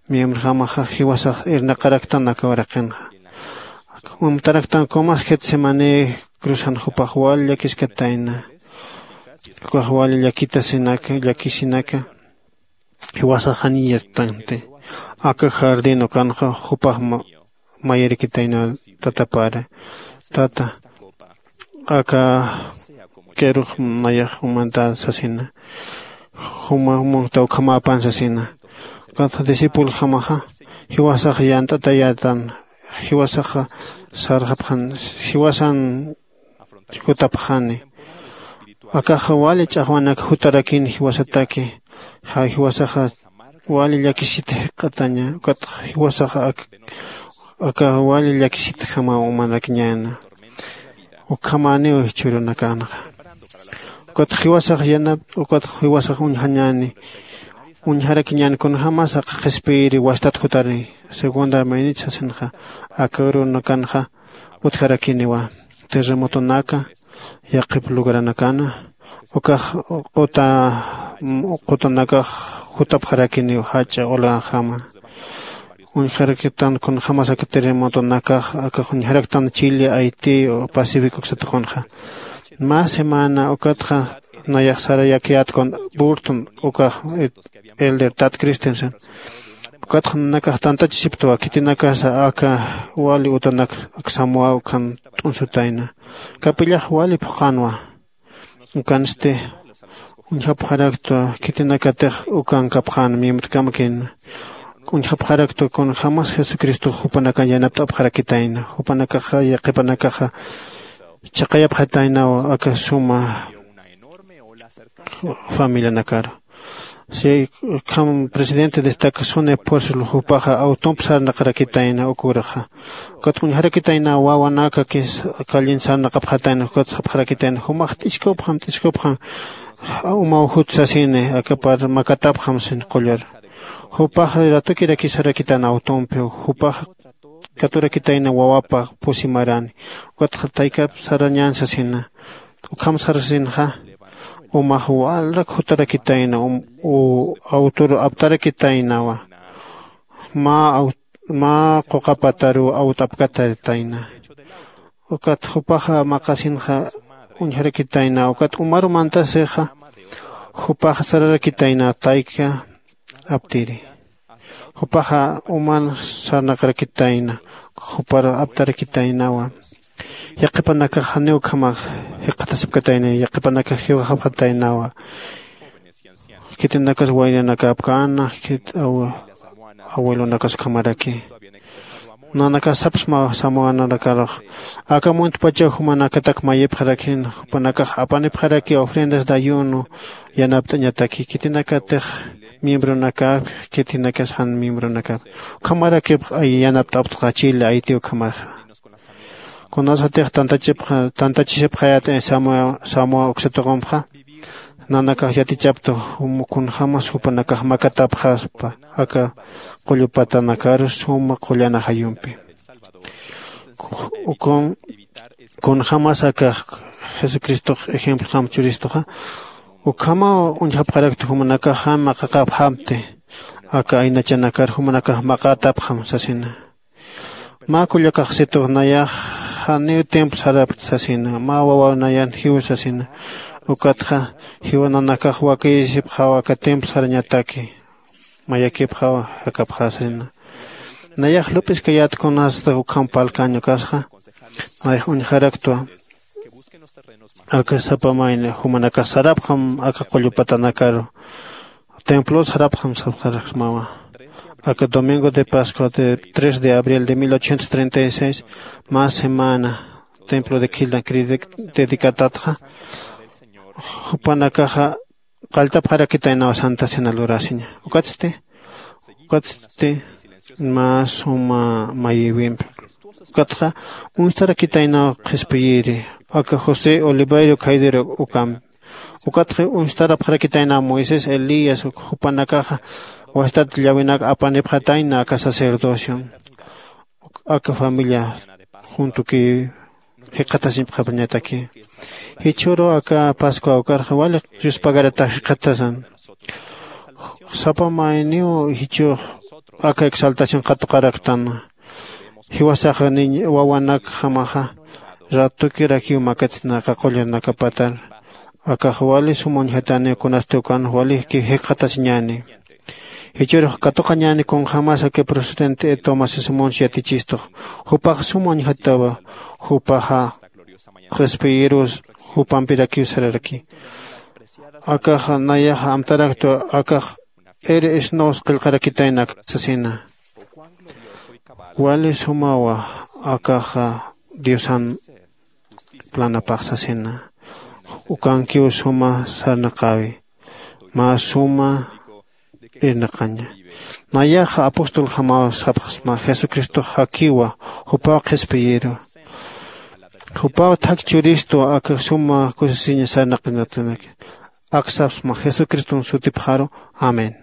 miembrojamaxa jiwasax irnaqaraktan aka uraqinxa. Amtaraktan kumas getsemaní cruzan jupax wal llakiskatayna. Jukax wal llakitasinaka llakisinaka jiwasax janiy yattanti. Aka jardín ukanxa jupax mayirkitayna tatapara. Tata aka q'irux nayax umanta sasina. Uma munta ukhamapan sasina. Ukat discípulo jamaxa jiwasax yant'atayatan, jiwasaxa sarxapxan, jiwasan jutapxani. Akaxa wali ch'axwanak jutarakini jiwasataki. Ja jiwasaxa wali llakisit jik'ataña. Ukat jiwasaxa ak- aka wali llakisit jama umanakiñäna. Ukhamaniw jichhürunakanxa. Ukat jiwasax yanap ukat jiwasax uñjañäni. Uñjarakiñäni kunjämas aka qhispiyiri wastat jutari. Segunda maynit sasinxa aka urunakanxa utjarakiniwa. Terremotonaka yaqhip lugaranakana ukax quta qutanakax jutapxarakiniw jach'a olanjama. Uñjaraktan kunjämas aka terremotonakax aka uñjaraktan chile haití pacífico uksatuqunxa. Mä semana ukatxa nayax sarayakiyät kun burton ukax elder tad christensen. Ukatxa nanakax tantachisiptwa khitinakasa aka wali utanak aksamwa ukan t'unsutayna. Kapillax wali phuqanwa. Ukansti uñjapxaraktwa khitinakatix ukankapxän miembrokamakïna. Uñjapxaraktwa kunjämas jesucristox jupanakan yanapt'apxarakitayna jupanakaxa yaqhipanakaxa chhaqayapxataynaw aka suma familianakaru. Si ukham presidente destaca suni apóstol jupaxa awtump sarnaqarakitayna ukuraxa. Ukat uñjarakitayna wawanaka kis callin sarnaqapxatayna ukat sapxarakitayna jumax t'iskupxam t'iskupxam umaw jut sasini akapar makatapxam sin qullar. Jupaxa ratukirakisarakitayna awtumpi jupaxa katurakitayna wawapa pusi marani. Ukatxa taykap sarañän sasina. Ukham sarasinxa umax walrak jutarakitayna awtur aptarakitaynawa. Mä quqapataruw awt'apkatatayna. Ukat jupaxa maqasinxa uñjarakitayna ukat umaru mantasixa jupaxa sararakitayna tayka aptiri. Jupaxa uman sarnaqarakitayna jupar aptarakitaynawa. Yaqhipanakax janiw ukhamax jikxatasipkatayna yaqhipanakax jiwxapxataynawa. Khitinakas waynanak apkäna khit abuelonakas ukhamaraki. Nanakas sapsma samuananakarux aka muntpachaw jumanakatak mayipxarakin jupanakax apanipxaraki ofrendas de ayuno yanapt'añataki khitinakatix miembronakap khitinakas jan miembronakap. Ukhamarakipx yanapt'aptxa chile haití ukhamaxa. Kunasatix tantachisipxayät samoa uksa tuqumxa nanakax yatichaptu kunjämas jupanakax makatapxaspa aka qullupatanakaru suma qullan ajayumpi. Ukun kunjämas akax jesucristox ejemplojam churistuxa ukhamaw uñjapxarakti jumanakax jan maqaqapxamti aka aynachanakar jumanakax maqatapxam sasina. Mä kullakaxsitux nayax janiw templo sarapkti sasina mä wawa nayan jiw sasina. Ukatxa jiwananakax wakiyisipxaw aka templo sarañataki mayakipxaw jakapxasina. Nayax lup'iskayät kunasatix ukham parlkañ ukasxa nayax uñjaraktwa aka sapa mayni jumanakax sarapxam aka qullupatanakaru templo sarapxam sapxaraksmawa. Aka domingo de pascua de tres de abril de mil ochocientos treinta y seis mä semana templo de khildan dedicat'atxa jupanakaxa qalltapxarakitaynaw santa cena lurasiña. Ukatsti ukatsti mä suma mayiwimpi ukatxa uñstarakitaynaw qhispiyiri aka josé oliveiro caidero ukampi. Ukatxa uñstarapxarakitaynaw moisés elías jupanakaxa wastat llawinak apanipxatayna aka sacerdocion aka familia juntukiw jikxatasiñpxapañataki. Jichhüru aka pascua ukarxa wali yuspagaratax jikxatasan. Sapa mayniw jichhüx aka exaltación katuqaraktana. Jiwasaxa niñ wawanakjamaxa ratukirakiw makatna aka qullanakapatar akax wali suma uñjataniw kunasti ukan waliki jikxatasiñäni. Jichhürux katuqañäni kunjämas aka presidente tomás simons yatichistux jupax suma uñjatawa. Jupaxa qhispiyirus jupampirakiw sararaki. Akaxa nayaxa amtaraktwa akax iri isnaws qillqarakitaynak sasina. Wali sumawa akaxa diosan planapax sasina. Ukankiw suma sarnaqäwi, mä suma irnaqaña. Nayaxa apostolxamaw sapxsma jesucristox jakiwa, jupaw qhispiyiru, jupaw thak churistwa akax suma kusisiña sarnaqinatanak. Aksapsma jesucriston sutipxaru. Amén.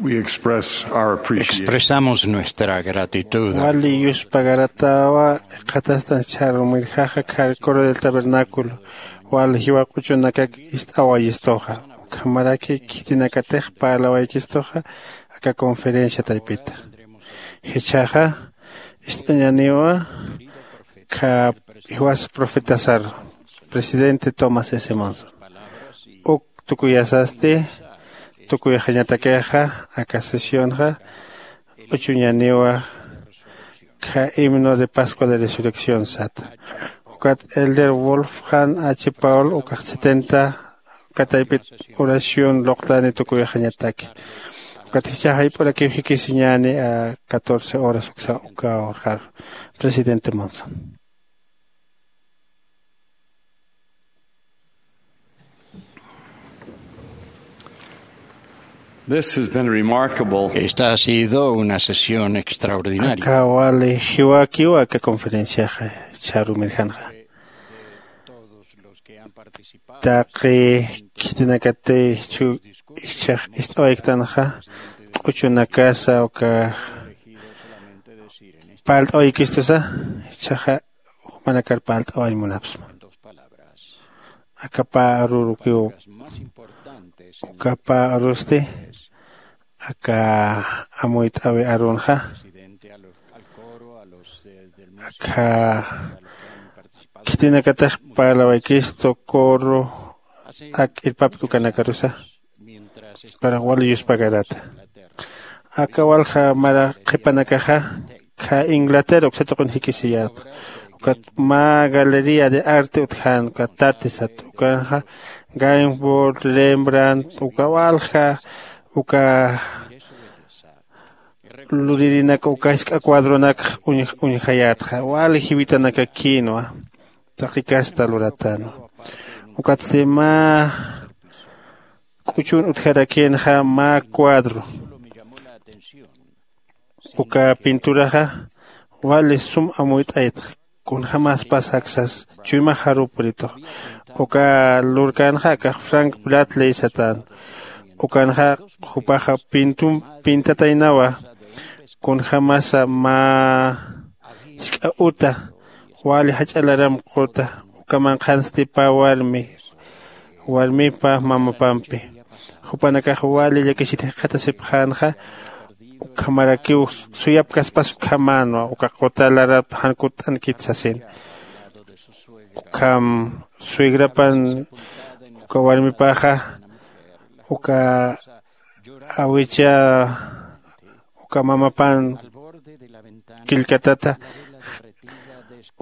We express our appreciation. Expresamos nuestra gratitud. Wali yuspagaratawa qhatastan chharumirjaxa khar coro del tabernáculo. Wali jiwa q'uchunakak ist'awayistuxa, ukhamaraki khitinakatix parlawaykistuxa aka conferencia taypita. Jichhaxa ist'añaniwa kha jiwas profetasar, presidente Thomas S Monson. Uk tukuyasasti tukuyxañatakixa aka sesionxa, q'uchuñaniwa kha himno de Pascua de Resurrección sata. Ukat elder Wolfgang H Paul ukax setenta kataypit oración luqtani tukuyxañataki. Ukat jichhaxa jayp'urakiw jikisiñani a catorce horas uksa uka urjar. Presidente Monson. This has been remarkable. Esta ha sido una sesión extraordinaria. Aka wali jiwakiwa aka conferenciaxa chharumirjanxa. Taqi khitinakati chu ichhax ist'awayktanxa q'uchunakasa uka parlt'awaykistusa, ichhaxa jumanakar parlt'awañ munapsma. Aka pä arurukiw, uka pä arusti aka amuyt'awi arunxa, aka khitinakatix parlawaykistu coro ak irpapki ukanakarusa, para wali yuspagarata. Aka walja mara qhipanakaxa kha Inglaterra uksa tuqin jikisiyät. Ukat mä galería de arte utjän uka Tate sat, ukanxa Gainsbourg, Rembrandt, uka walja uka luririnak uka jisk'a cuadronak uñjayätxa, wali jiwitanakakïnwa taqi kasta luratänwa. Ukatsti mä k'uchun utjarakïnxa mä cuadro, uka pinturaxa wali sum amuyt'aytxa, kunjämas pasaksas chuymax jaruw purituxa. Uka lurkänxa akax Frank Bradley satän. Ukanxa jupaxa pintum pintataynawa kunjämasa mä jisk'a uta wali jach'a laram quta, uka manqhansti pä warmi, warmipa mamapampi. Jupanakax wali llakisit jikxatasipxänxa, ukhamarakiw suyapkaspas ukhamänwa uka quta larap jan kutt'ankit sasin. Ukham suegrapan uka warmipaxa uka awicha uka mamapan killkatata,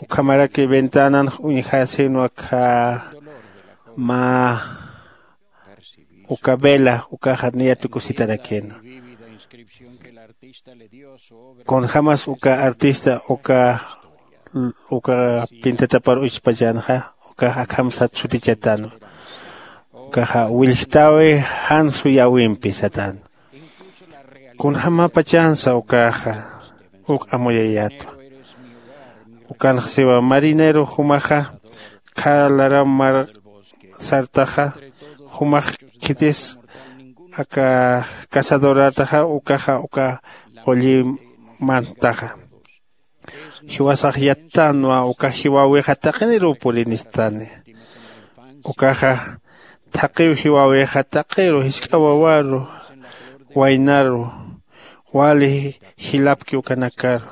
ukhamaraki ventanan uñjäsinwa kha mä uka vela ukaxa niya tukusitarakïnwa. Kunjämas uka artista uka uka pintatapar uchpachanxa ukax akham sat sutichatanwa. Ukaxa willjtäwi jan suyäwimpi satänwa. Kunjämapachansa ukaxa uk amuyayätwa. Ukanx siwa marinero jumaxa kha laram mar sartaxa, jumax khitis aka cazadorataxa ukaxa uka qulli mantaxa. Jiwasax yattänwa uka jiwäwixa taqiniruw purinistani. Ukaxa thaqiw jiwäwixa taqiru jisk'a wawaru waynaru wali jilapki ukanakaru.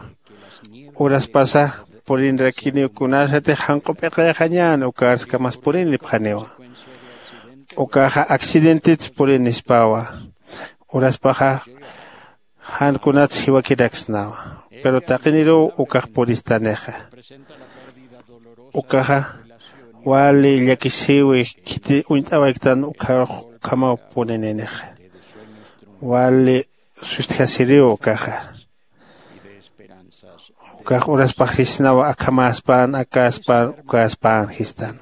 Uraspasa purinrakiniw kunasatix janq'u p'iqayxañän ukarskamas purinipxaniwa. Ukaxa accidentits purinispawa. Uraspaxa jan kunats jiwakiraksnawa. Pero taqiniruw ukax puristanixa. Ukaxa wali llakisiwi khiti uñt'awayktan ukhamaw purininixa. Wali sustjasiriw ukaxa. Ukax uraspax jisnawa akhamäspan akäspan ukäspan jistan.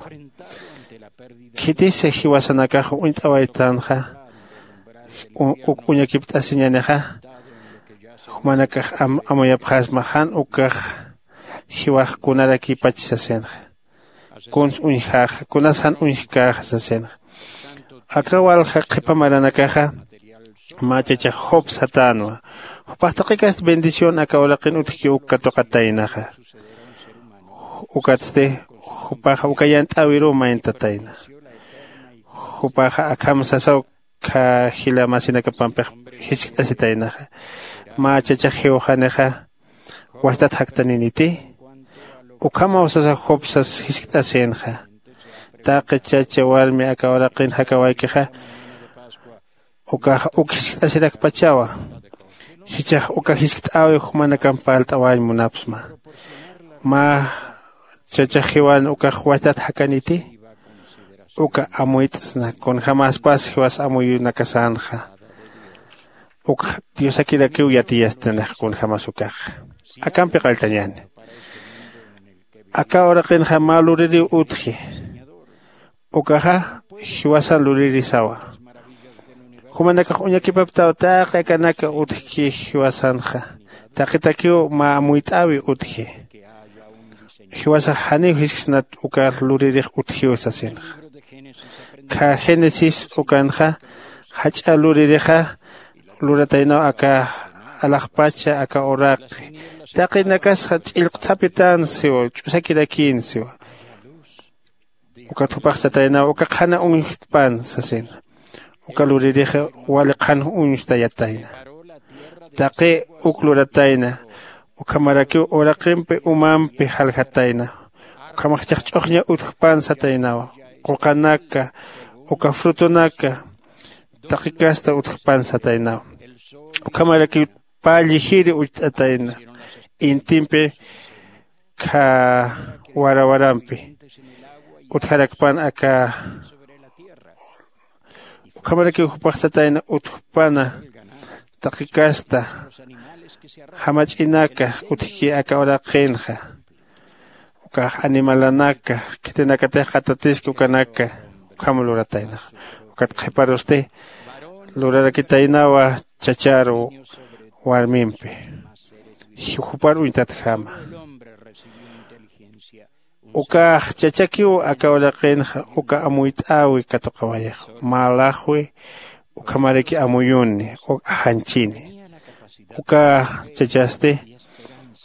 Khitisa jiwasanakax uñt'awaytanxa uk uñakipt'asiñanixa, jumanakax amuyapxasma jan ukax jiwax kunarakipach sasinxa. Kuns uñjaxa kunas jan uñjkäxa sasinxa. Aka walja qhipa maranakaxa Mä chachax job satänwa. Jupax taqikast bendición aka uraqin utjki uk katuqataynaxa. Ukatsti jupaxa uka yant'äwiruw mayntatayna. Jupaxa akham sasaw kha jila masinakapampix jiskt'asitaynaxa. Mä chachax jiwxanixa wajtat jaktaniniti? Ukhamaw sasa job sas jiskt'asïnxa. Taqi chacha warmi aka uraqin jakawaykixa ukax uk jiskt'asirakpachawa. Jichhax uka jiskt'äwi jumanakamp parlt'awañ munapxsma. Mä chachax jiwan ukax wajtat jakaniti? Uka amuyt'sna kunjämaspas jiwas amuyunakasänxa. Ukx diosakirakiw yatiyastinix kunjämas ukaxa. Akampi qalltañäni. Aka uraqinxa mä luririw utji. Ukaxa jiwasan luririsawa. Jumanakax uñakipaptaw taqi akanaka utjki jiwasanxa. Taqitakiw mä amuyt'äwi utji. Jiwasax janiw jisksnat uka luririx utjiw sasinxa. Kha génesis ukanxa jach'a luririxa lurataynaw aka alaxpacha aka uraqi. Taqinakasxa ch'illqthapitan siwa ch'usakirakïn siwa. Ukat jupax sataynaw uka qhana uñjtpan sasina. Uka luririx wali qhan uñstayatayna. Taqi uk luratayna. Ukhamarakiw uraqimpi umampi jaljatayna. Ukhamax ch'axch'uxña utjpan sataynawa. Quqanaka uka frutonaka taqi kasta utjpan sataynawa. Ukhamarakiw pä llijiri ucht'atayna. Intimpi kha warawarampi utjarakpan aka. Ukhamarakiw jupax satayna utjpana taqi kasta jamach'inaka utjki aka uraqinxa. Ukax animalanaka khitinakatix qatatiski ukanaka ukham lurataynaxa. Ukat qhiparusti lurarakitaynawa chacharu warmimpi jupar uñtatjama. Ukax chachakiw aka uraqinxa uka amuyt'äwi katuqawayax mä laxwi. Ukhamaraki amuyuni uk ajanchini. Uka chachasti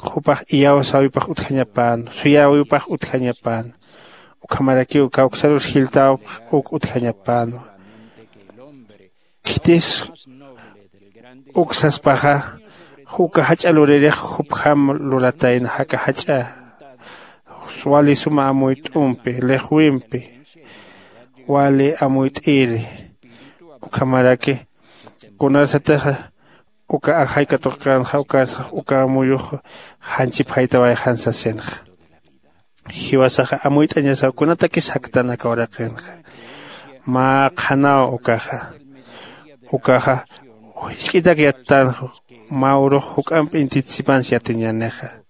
jupax iyawsäwipax utjañapän suyäwipax utjañapän. Ukhamarakiw kawksarus jiltäwpax uk utjañapänwa. Khitis uk saspaxa uka jach'a luririx jupjam luratayna jaka jach'a wali suma amuyt'umpi lixwimpi wali amuyt'iri. Ukhamaraki kunarsatixa uka ajay katuqkänxa ukarsax uka amuyux janchipjaytawayxan sasinxa. Jiwasaxa amuyt'añasaw kunatakis jaktan aka uraqinxa. Mä qhanaw ukaxa ukaxa jisk'itak yattanxa. Mä urux juk'amp intitsipans yatiñänixa.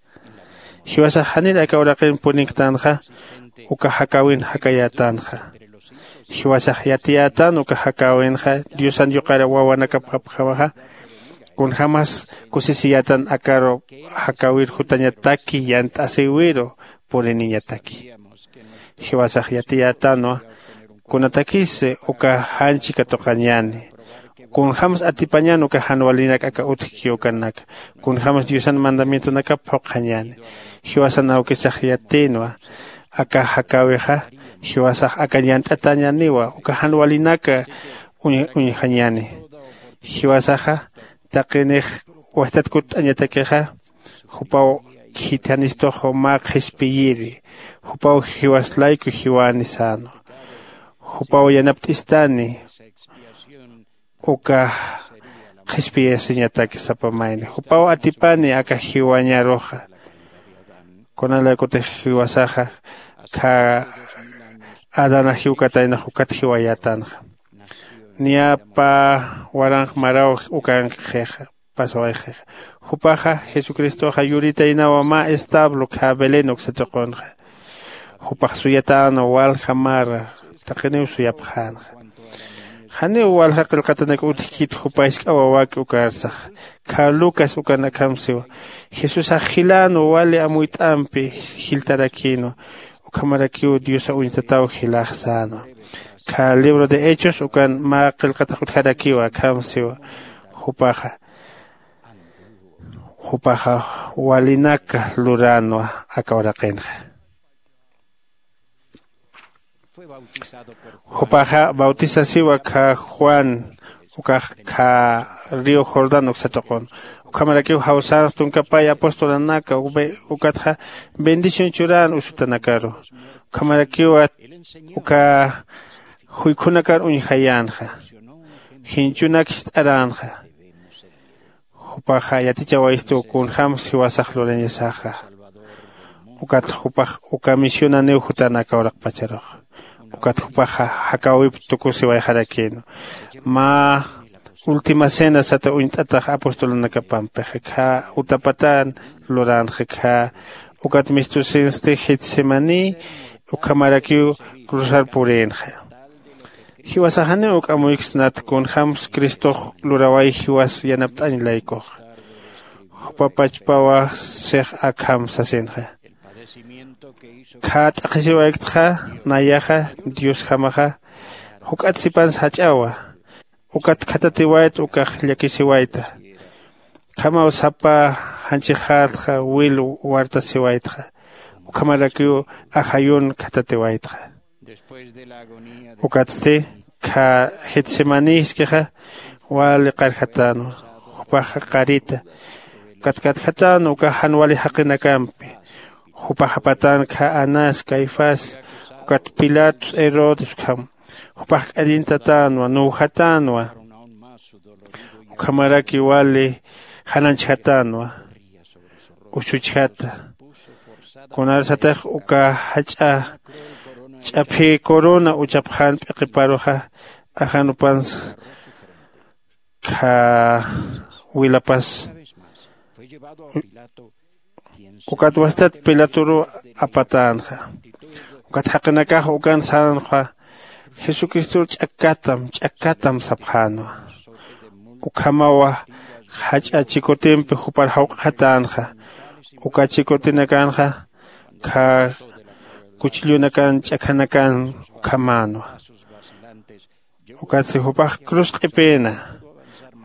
Jiwasax janir aka uraqin purinktanxa uka jakäwin jakayätanxa. Jiwasax yatiyätan uka jakäwinxa diosan yuqar wawanakapxapxamaxa. Kunjämas kusisiyätan akaru jakäwir jutañataki yant'asïwiru puriniñataki. Jiwasax yatiyätanwa kunatakis uka janchi katuqañäni. Kunjämas atipañän uka jan walinak aka utjki ukanaka. Kunjämas diosan mandamientonakap phuqhañäni. Jiwasan awkisax yatïnwa aka jakäwixa. Jiwasax aka yant'atañäniwa uka jan walinaka uñjañäni. Jiwasaxa taqinix wajtat kutt'añatakixa jupaw khithanistux mä qhispiyiri. Jupaw jiwas layku jiwäni sänwa. Jupaw yanapt'istani uka qhispiyasiñataki sapa mayni jupaw atipani aka jiwañaruxa. Kunalaykutix jiwasaxa kha adana jiwkataynax ukat jiwayätanxa. Niya pä waranx maraw ukankixixa pasawayxixa. Jupaxa jesucristoxa yuritaynawa mä establo kha belén uksa tuqunxa. Jupax suyatänwa walja mara taqiniw suyapxänxa. Janiw walja qillqatanak utjkit jupa jisk'a wawaki ukarsaxa. Kha lucas ukan akham siwa jesusax jilänwa wali amuyt'ampi jiltarakïnwa. Ukhamarakiw diosa uñtataw jilax sänwa. Kha libro de hechos ukan mä qillqatax utjarakiwa akham siwa. Jupaxa jupaxa walinaka luränwa aka uraqinxa. Jupaxa bautisasiwa kha juan ukax kha río jordán uksatuqun. Ukhamarakiw jawsänx tunkapay apostolanaka ukatxa bendición churän usutanakaru. Ukhamarakiwa uka juykhunakar uñjayänxa. Jinchunak jist'aränxa. Jupaxa yatichawayistu kunjämsa jiwasax lurañasaxa. Ukat jupax uka misionaniw jutan aka uraqpacharux. Ukat jupaxa jakäwip tukusiwayxarakïnwa. Mä última cena sata uñt'atax apostolanakapampixa khä utapatän luränxa khä. Ukat mistusinsti getsemaní ukhamarakiw cruzar purïnxa. Jiwasax janiw juk'amuyksnat kunjämsa cristox luraway jiwas yanapt'añ laykuxa. Jupa pachpawa six akham sasinxa. Khä t'aqhisiwayktxa nayaxa diosjamaxa juk'at sipansa jach'awa. Ukat khatatiwayta ukax llakisiwayta. Khamaw sapa janchixätxa wil wartasiwaytxa. Ukhamarakiw ajayun khatatiwaytxa. Ukatsti kha getsemaní jiskixa wali qarjatänwa. Jupaxa qarita katkatjatänwa uka jan wali jaqinakampi. Jupax apatän kha anás caifás ukat pilatos herodes ukham. Jupax k'allintatänwa nuwjatänwa. Ukhamaraki wali jananchjatänwa. Usuchjata kunarsatix uka jach'a ch'aphï corona uchapxän p'iqiparuxa ajanupansa kha wilapas. Ukat wastat pilatoruw apatänxa. Ukat jaqinakax ukan sänxa jesucristor ch'akkatam ch'akkatam sapxänwa. Ukhamawa jach'a chikutimpi jupar jawq'xatänxa. Uka chikutinakanxa kha kuchillunakan ch'akhanakan ukhamänwa. Ukatsti jupax cruz q'ipïna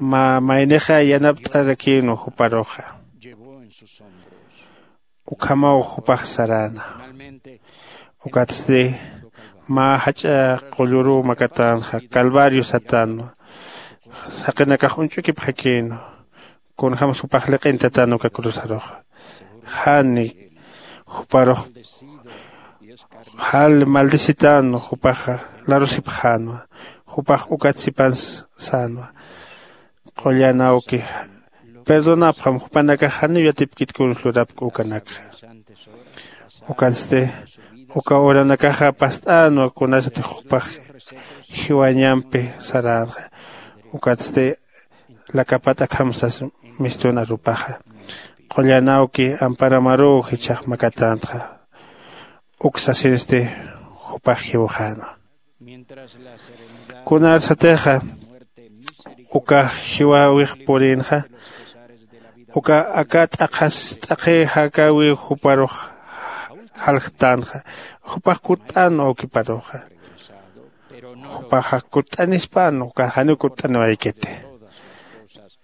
mä maynixa yanapt'arakïnwa juparuxa. Ukhamaw jupax saräna. Ukatsti mä jach'a qulluruw makatänxa calvario satänwa. Jaqinakax uñch'ukipxakïnwa. Kunjämsa jupax liq'intatänwa uka cruzaruxa. Jani juparux jall maldecitänwa jupaxa larusipxänwa. Jupax ukat sipansa sänwa. Qullan awki perdonapxam jupanakax janiw yatipkit kunsa lurapki ukanakxa. Ukatsti uka uranakaxa past'änwa kunasatix jupax jiwañampi saränxa. Ukatsti lakapat'akhamsas mistun arupaxa. Qullan awki amparamaruw jichhax makatänxa. Uk sasinsti jupax jiwxänwa. Kunarsatixa uka jiwäwix purïnxa uka aka t'aqhas t'aqhi jakäwiw juparux jaljtänxa. Jupax kutt'änwa awkiparuxa. Jupaxa kutt'anispan uka janiw kutt'aniwaykiti.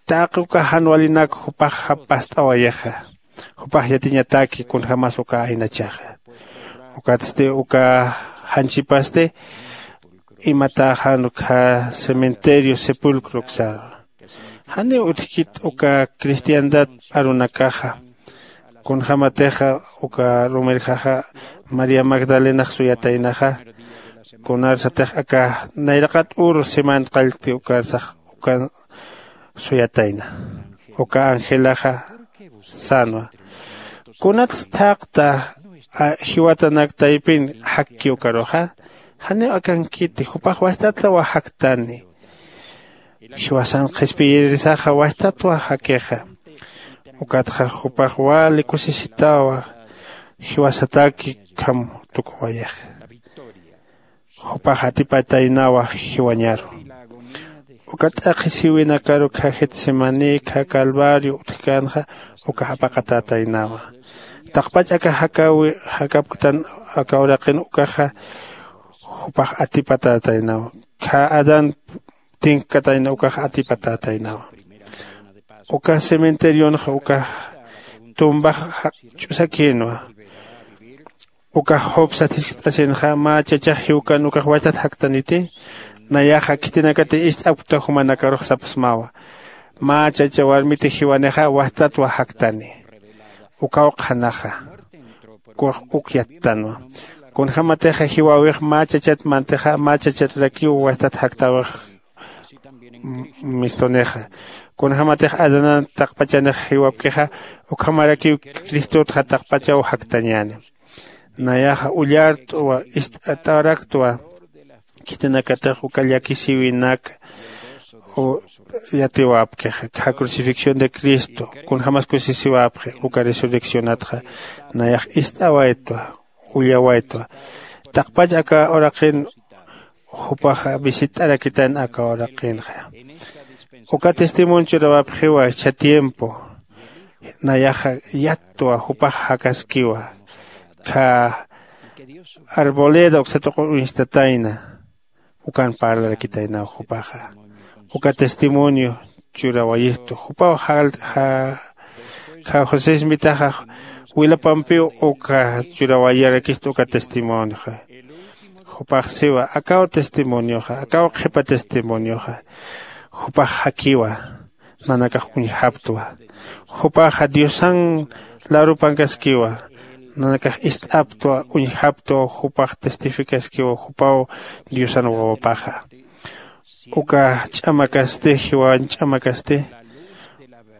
Taqi uka jan walinak jupaxa past'awayixa. Jupax yatiñataki kunjämas uka aynachaxa. Ukatsti uka janchipasti imatäxan ukkha cementerio sepulcro uksaru. Janiw utjkit uka cristiandad arunakaxa. Kunjämatixa uka rumirjaxa maría magdalenax suyataynaxa. Kunarsatix aka nayraqat uru siman qallti ukarsax ukan suyatayna. Uka angelaxa sänwa. Kunatsa thaqta jiwatanak taypin jakki ukaruxa? Janiw akankiti jupax wastatlawa jaktani. Jiwasan qhispiyirisaxa wastatwa jakixa. Ukatxa jupax wali kusisitawa jiwasataki ukham tukuwayixa. Jupax atipataynawa jiwañaru. Uka t'aqhisiwinakaru kha getsemaní kha calvario utjkänxa ukax apaqatätaynawa. Taqpach aka jakäwi jakapktan aka uraqin ukaxa jupax atipatätaynaw. Khä adán tinkkatayna ukax atipatätaynawa. Uka cementerionxa ukax tumbax ch'usakïnwa. Ukax job sat jiskt'asinxa mä chachax jiwkan ukax wachtat jaktaniti. Nayaxa khitinakati ist'apkta jumanakarux sapxsmawa. Mä chacha warmiti jiwanixa wajtatwa jaktani. Ukaw qhanaxa ukax uk yattanwa. Kunjämatixa jiwäwix mä chachat mantixa mä chachaturakiw wajtat jaktäwix. Mistunixa kunjämatix adanan taqpachanix jiwapkixa ukhamarakiw cristotxa taqpachaw jaktañäni. Nayaxa ullart'wa ist'at'araktwa khitinakatix uka llakisïwinak yatiwapkixa khä crucifixión de cristo kunjämas kusisiwapxi uka resurreccionatxa. Nayax ist'awaytwa ullawaytwa. Taqpach aka uraqin jupaxa visit'arakitan aka uraqinxa. Uka testimonio churawapxiwa jichha tiempo. Nayaxa yattwa jupax jakaskiwa khä arboleda uksa tuqu uñstatayna. Ukan parlarakitaynaw jupaxa uka testimonio churawayistu jupaw. Khä josé smitaxa wilapampiw uka churawayarakistu uka testimonioxa. Jupax siwa akaw testimonioxa akaw qhipa testimonioxa. Jupax jakiwa nanakax uñjaptwa. Jupaxa diosan larupankaskiwa. Nanakax ist'aptwa uñjaptwa jupax testificaskiwa jupaw diosan wawapaxa. Uka ch'amakasti jiwañ ch'amakasti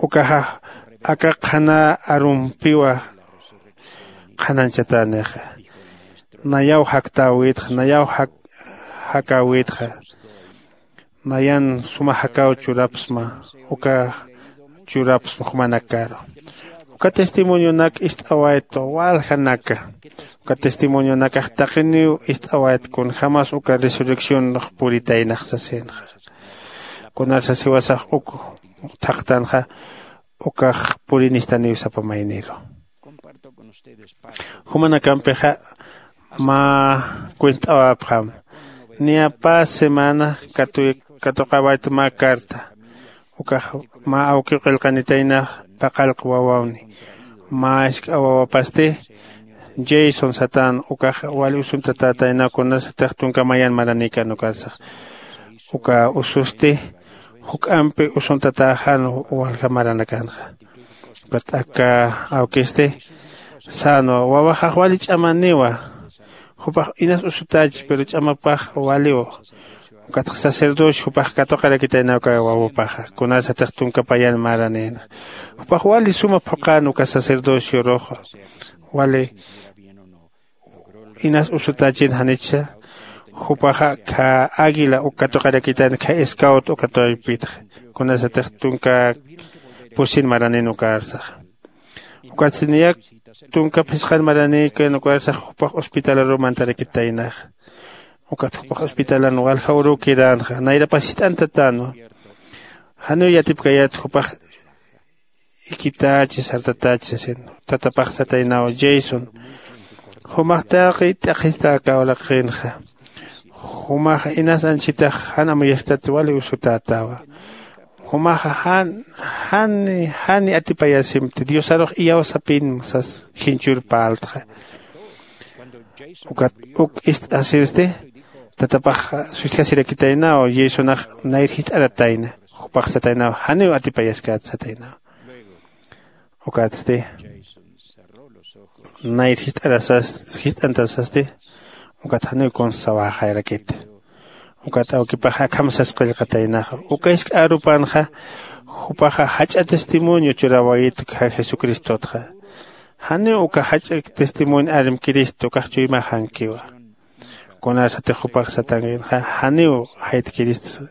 ukaxa aka qhana arumpiwa qhanañchatänixa. Nayaw jaktäwitxa nayaw jakäwitxa. Nayan suma jakaw churapsma uka churapsma jumanakaru. Uka testimonionak ist'awaytwa waljanaka. Uka testimonionakax taqiniw ist'awayt kunjämas uka resurreccionx puritaynax sasinxa. Kunar sasiwasax uk thaqtanxa ukax purinistaniw sapa mayniru. Jumanakampixa mä cuent'awapxam. Niya pä semana katuqawayt mä carta ukax mä awkiw qillqanitayna paqallq wawawni. Mä isk'a wawapasti jason satän ukax wali usuntatätaynaw kunasatix tunka mayan maranïkän ukarsax. Uka ususti juk'ampi usuntatäxan walja maranakanxa. Ukat aka awkisti sänwa wawaxax wali ch'amaniwa. Jupax inas usutächi pero ch'amapax waliw. Ukatx sacerdocio jupax katuqarakitaynaw uka wawapaxa kunasatix tunka payan maranïna. Jupax wali suma phuqän uka sacerdocioruxa wali inas usutächin janichsa. Jupaxa khä águila uk katuqarakitayna khä scout uka taypitxa kunasatix tunka pusin maranïn ukarsaxa. Ukatsti niyak tunka phisqan maranïkän ukarsax jupax hospitalaruw mantarakitaynaxa. Ukat jupax hospitalan walja uruw kiränxa nayrapas jist'antatänwa. Janiw yatipkayät jupax ikitächi sartatächi sasin. Tatapax sataynaw jason jumax taqi t'aqhista aka uraqinxa. Jumax inas anchitax jan amuyastat wali usutätawa. Jumaxa jan jani jani atipayasimti diosarux iyawsapinma sas jinchur parltxa. Ukat uk ist'asinsti tatapax sustjasirakitaynaw jasonax nayr jist'aratayna. Jupax sataynaw janiw atipayaskäta sataynaw. Ukatsti nayr jist'antasasti ukat janiw kunsa sawäxayarakit. Ukat awkipax akham sas qillqataynaxa uka isk'a arupanxa. Jupaxa jach'a testimonio churäwayit jesucristotxa. Janiw uka jach'a testimonio armkirist ukax chuymaxankiwa. Kunarsatix jupax satankinxa janiw jaytkirist.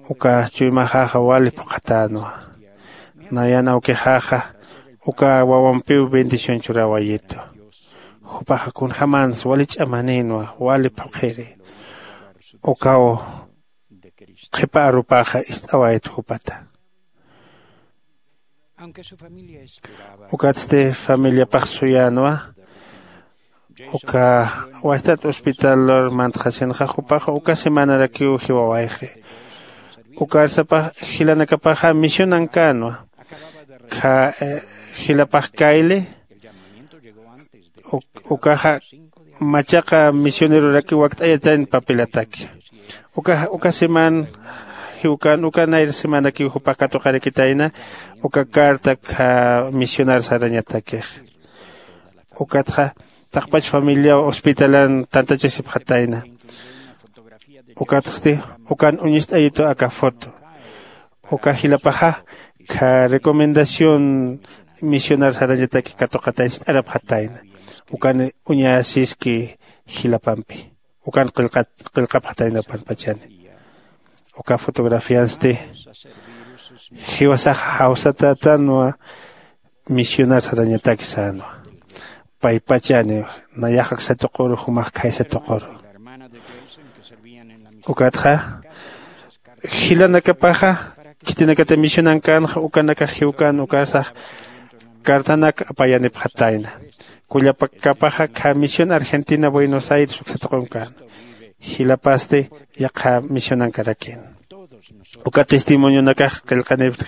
Uka chuymaxaxa wali phuqhatänwa. Nayan awkixaxa uka wawampiw bendición churäwayitu. Jupaxa kunjämans wali ch'amanïnwa wali phuqhiri. Ukaw qhipa arupaxa ist'awayt jupata. Ukatsti familiapax suyänwa. Uka wajtat hospitalur mantxasinxa jupaxa uka semanarakiw jiwawayxi. Ukarsapax jilanakapaxa misionankänwa. Kha jilapax kayli ukaxa machaqa misionerorakiw wakt'ayatayn papelataki. Uka uka semana jiwkän uka nayra semanakiw jupax katuqarakitayna uka carta kha misionar sarañatakix. Ukatxa taqpach familiaw hospitalan tantachasipxatayna. Ukatsti ukan uñist'ayitu aka foto. Uka jilapaxa kha recomendación misionar sarañataki katuqatay ist'arapxatayna. Ukan uñasiski jilapampi ukan qillqapxatayna upanpachani. Uka fotografiansti jiwasax jawsatätanwa. Misionar sarañataki sänwa. Paypachani nayax aksatuquru jumax khaysatuquru. Ukatxa jilanakapaxa khitinakata misionankänxa ukanakax jiwkän ukarsax cartanak apayanipxatayna. Kullakapaxa kha misión argentina buenos aires uksatuqunkäna. Jilapasti yaqha misionankarakïna. Uka testimonionakax qillqanipxta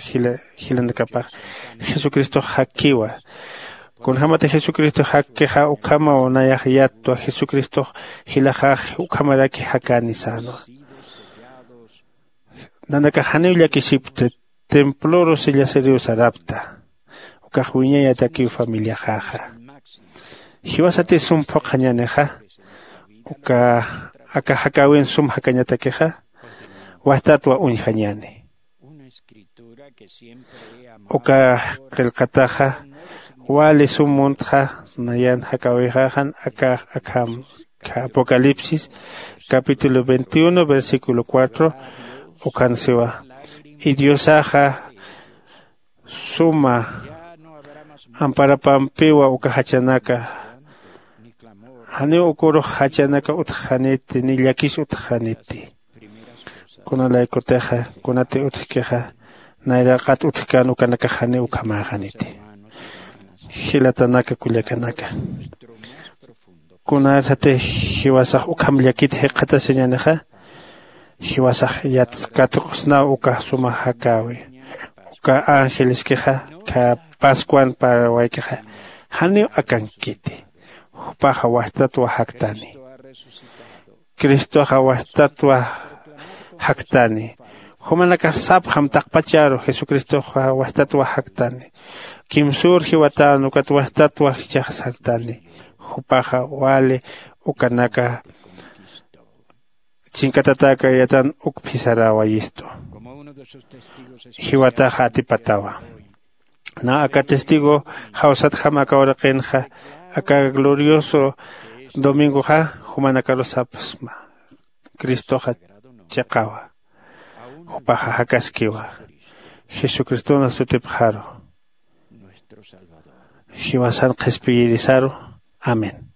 jilanakapax jesucristox jakkiwa. Kunjämati jesucristo jakkixa ukhamaw nayax yattwa jesucristox jilaxax ukhamaraki jakäni sänwa. Nanakax janiw llakisipkti. Temploru sellasiriw sarapkta. Ukax wiñayatakiw familiaxaxa. Jiwasati sum phuqhañänixa uka aka jakäwin sum jakañatakixa wajtatwa uñjañäni. Uka qillqataxa wali sum muntxa nayan jakäwixaxan aka akham. Apocalipsis capítulo veintiuno versículo cuatro. Ukhan siwa y diosaxa suma amparapampiwa uka jachanaka. Janiw ukurux jachanaka utjxaniti ni llakis utjxaniti. Kunalaykutixa kunati utjkixa nayraqat utjkän ukanakax janiw ukhamäxaniti. Jilatanaka kullakanaka, kunasati jiwasax ukham llakit jikxatasiñänixa jiwasax yat katuqsnaw uka suma jakäwi. Uka angeleskixa kha pascuan parawaykixa janiw akankiti. Jupaxa wastatwa jaktani. Cristoxa wastatwa jaktani. Jumanakax sapxam taqpacharu jesucristoxa wastatwa jaktani. Kimsür jiwatän ukat wastatwa jichhax sartani. Jupaxa wali ukanaka chinkatatäkayatan uk phisaräwayistu. Jiwataxa atipatawa. Nä aka testigo jawsatjam aka uraqinxa aka glorioso domingoxa jumanakarus sapxsma. Cristoxa chiqawa. Jupaxa jakaskiwa. Jesucristona sutipxaru jiwasan qhispiyirisaru. Amén.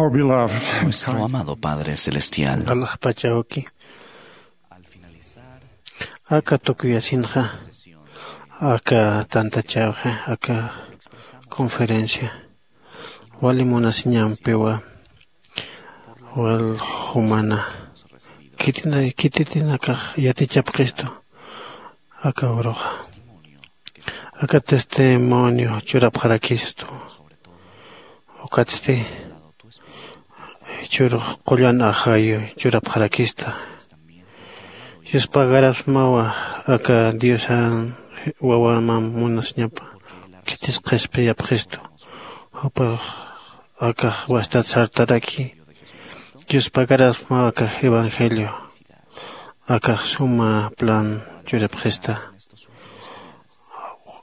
Our beloved Nuestro amado Padre Celestial. Alaxpachawki. Aka tukuyasinxa, aka tantachawxa, aka conferencia wali munasiñampiwa, wal jumana khitina khititinakax yatichapxistu. Aka uruxa aka testimonio churapxarakistu. Ukatsti churux qullan ajayu churapxarakista. Yuspagarasmawa aka diosan wawamam munasñapa khitis qhispiyapxistu. Jupax akax wastat sartaraki. Yuspagarasmawa akax evangelio akax suma plan churapxista.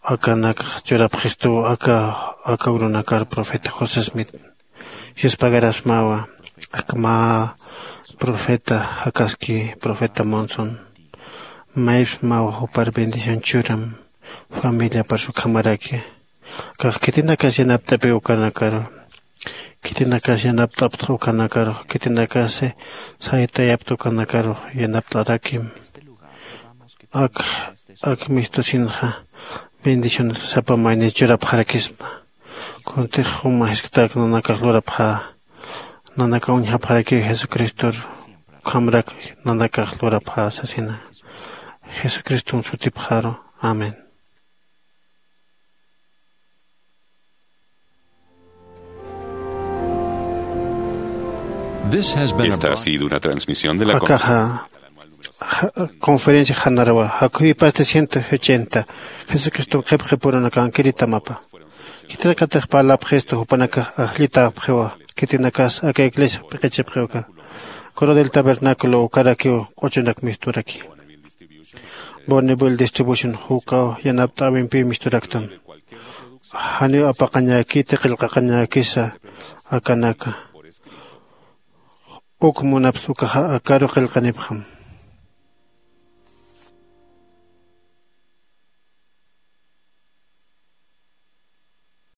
Akanakax churapxistu aka aka urunakar profeta josé smith. Yuspagarasmawa akma profeta jakaski profeta monson. Maypsmawa jupar bendición churam familiapar sukhamaraki. Kax khitinakas yanapt'api ukanakaru. Khitinakas yanapt'aptx ukanakaru. Khitinakasi saytayapta ukanakaru yanapt'arakim. Ak ak mistusinxa bendiciones sapa mayni churapxarakisma. Kuntix juma jisktak nanakax lurapxä. Nanaka uñjapxarakiw jesucristor ukhamrak nanakax lurapxä sasina. Jesucriston sutipxaru. Amén. Esta ha sido una transmisión de la Akaxa conferencia janarawa jakhuyipasti ciento ochenta. Jesucriston qhipqipurunakankiritamapa. Khitinakatix parlapxistu jupanakax ajllitäpxiwa. Khitinakas aka iglesia p'iqichipxiwka. Coro del tabernáculo ukarakiw q'uchunak misturaki. Bonneville distribution jukaw yanapt'äwimpiw misturaktan. Janiw apaqañäkiti qillqaqañäkisa akanaka. Uk munapsa ukaxa akaru qillqanipxam.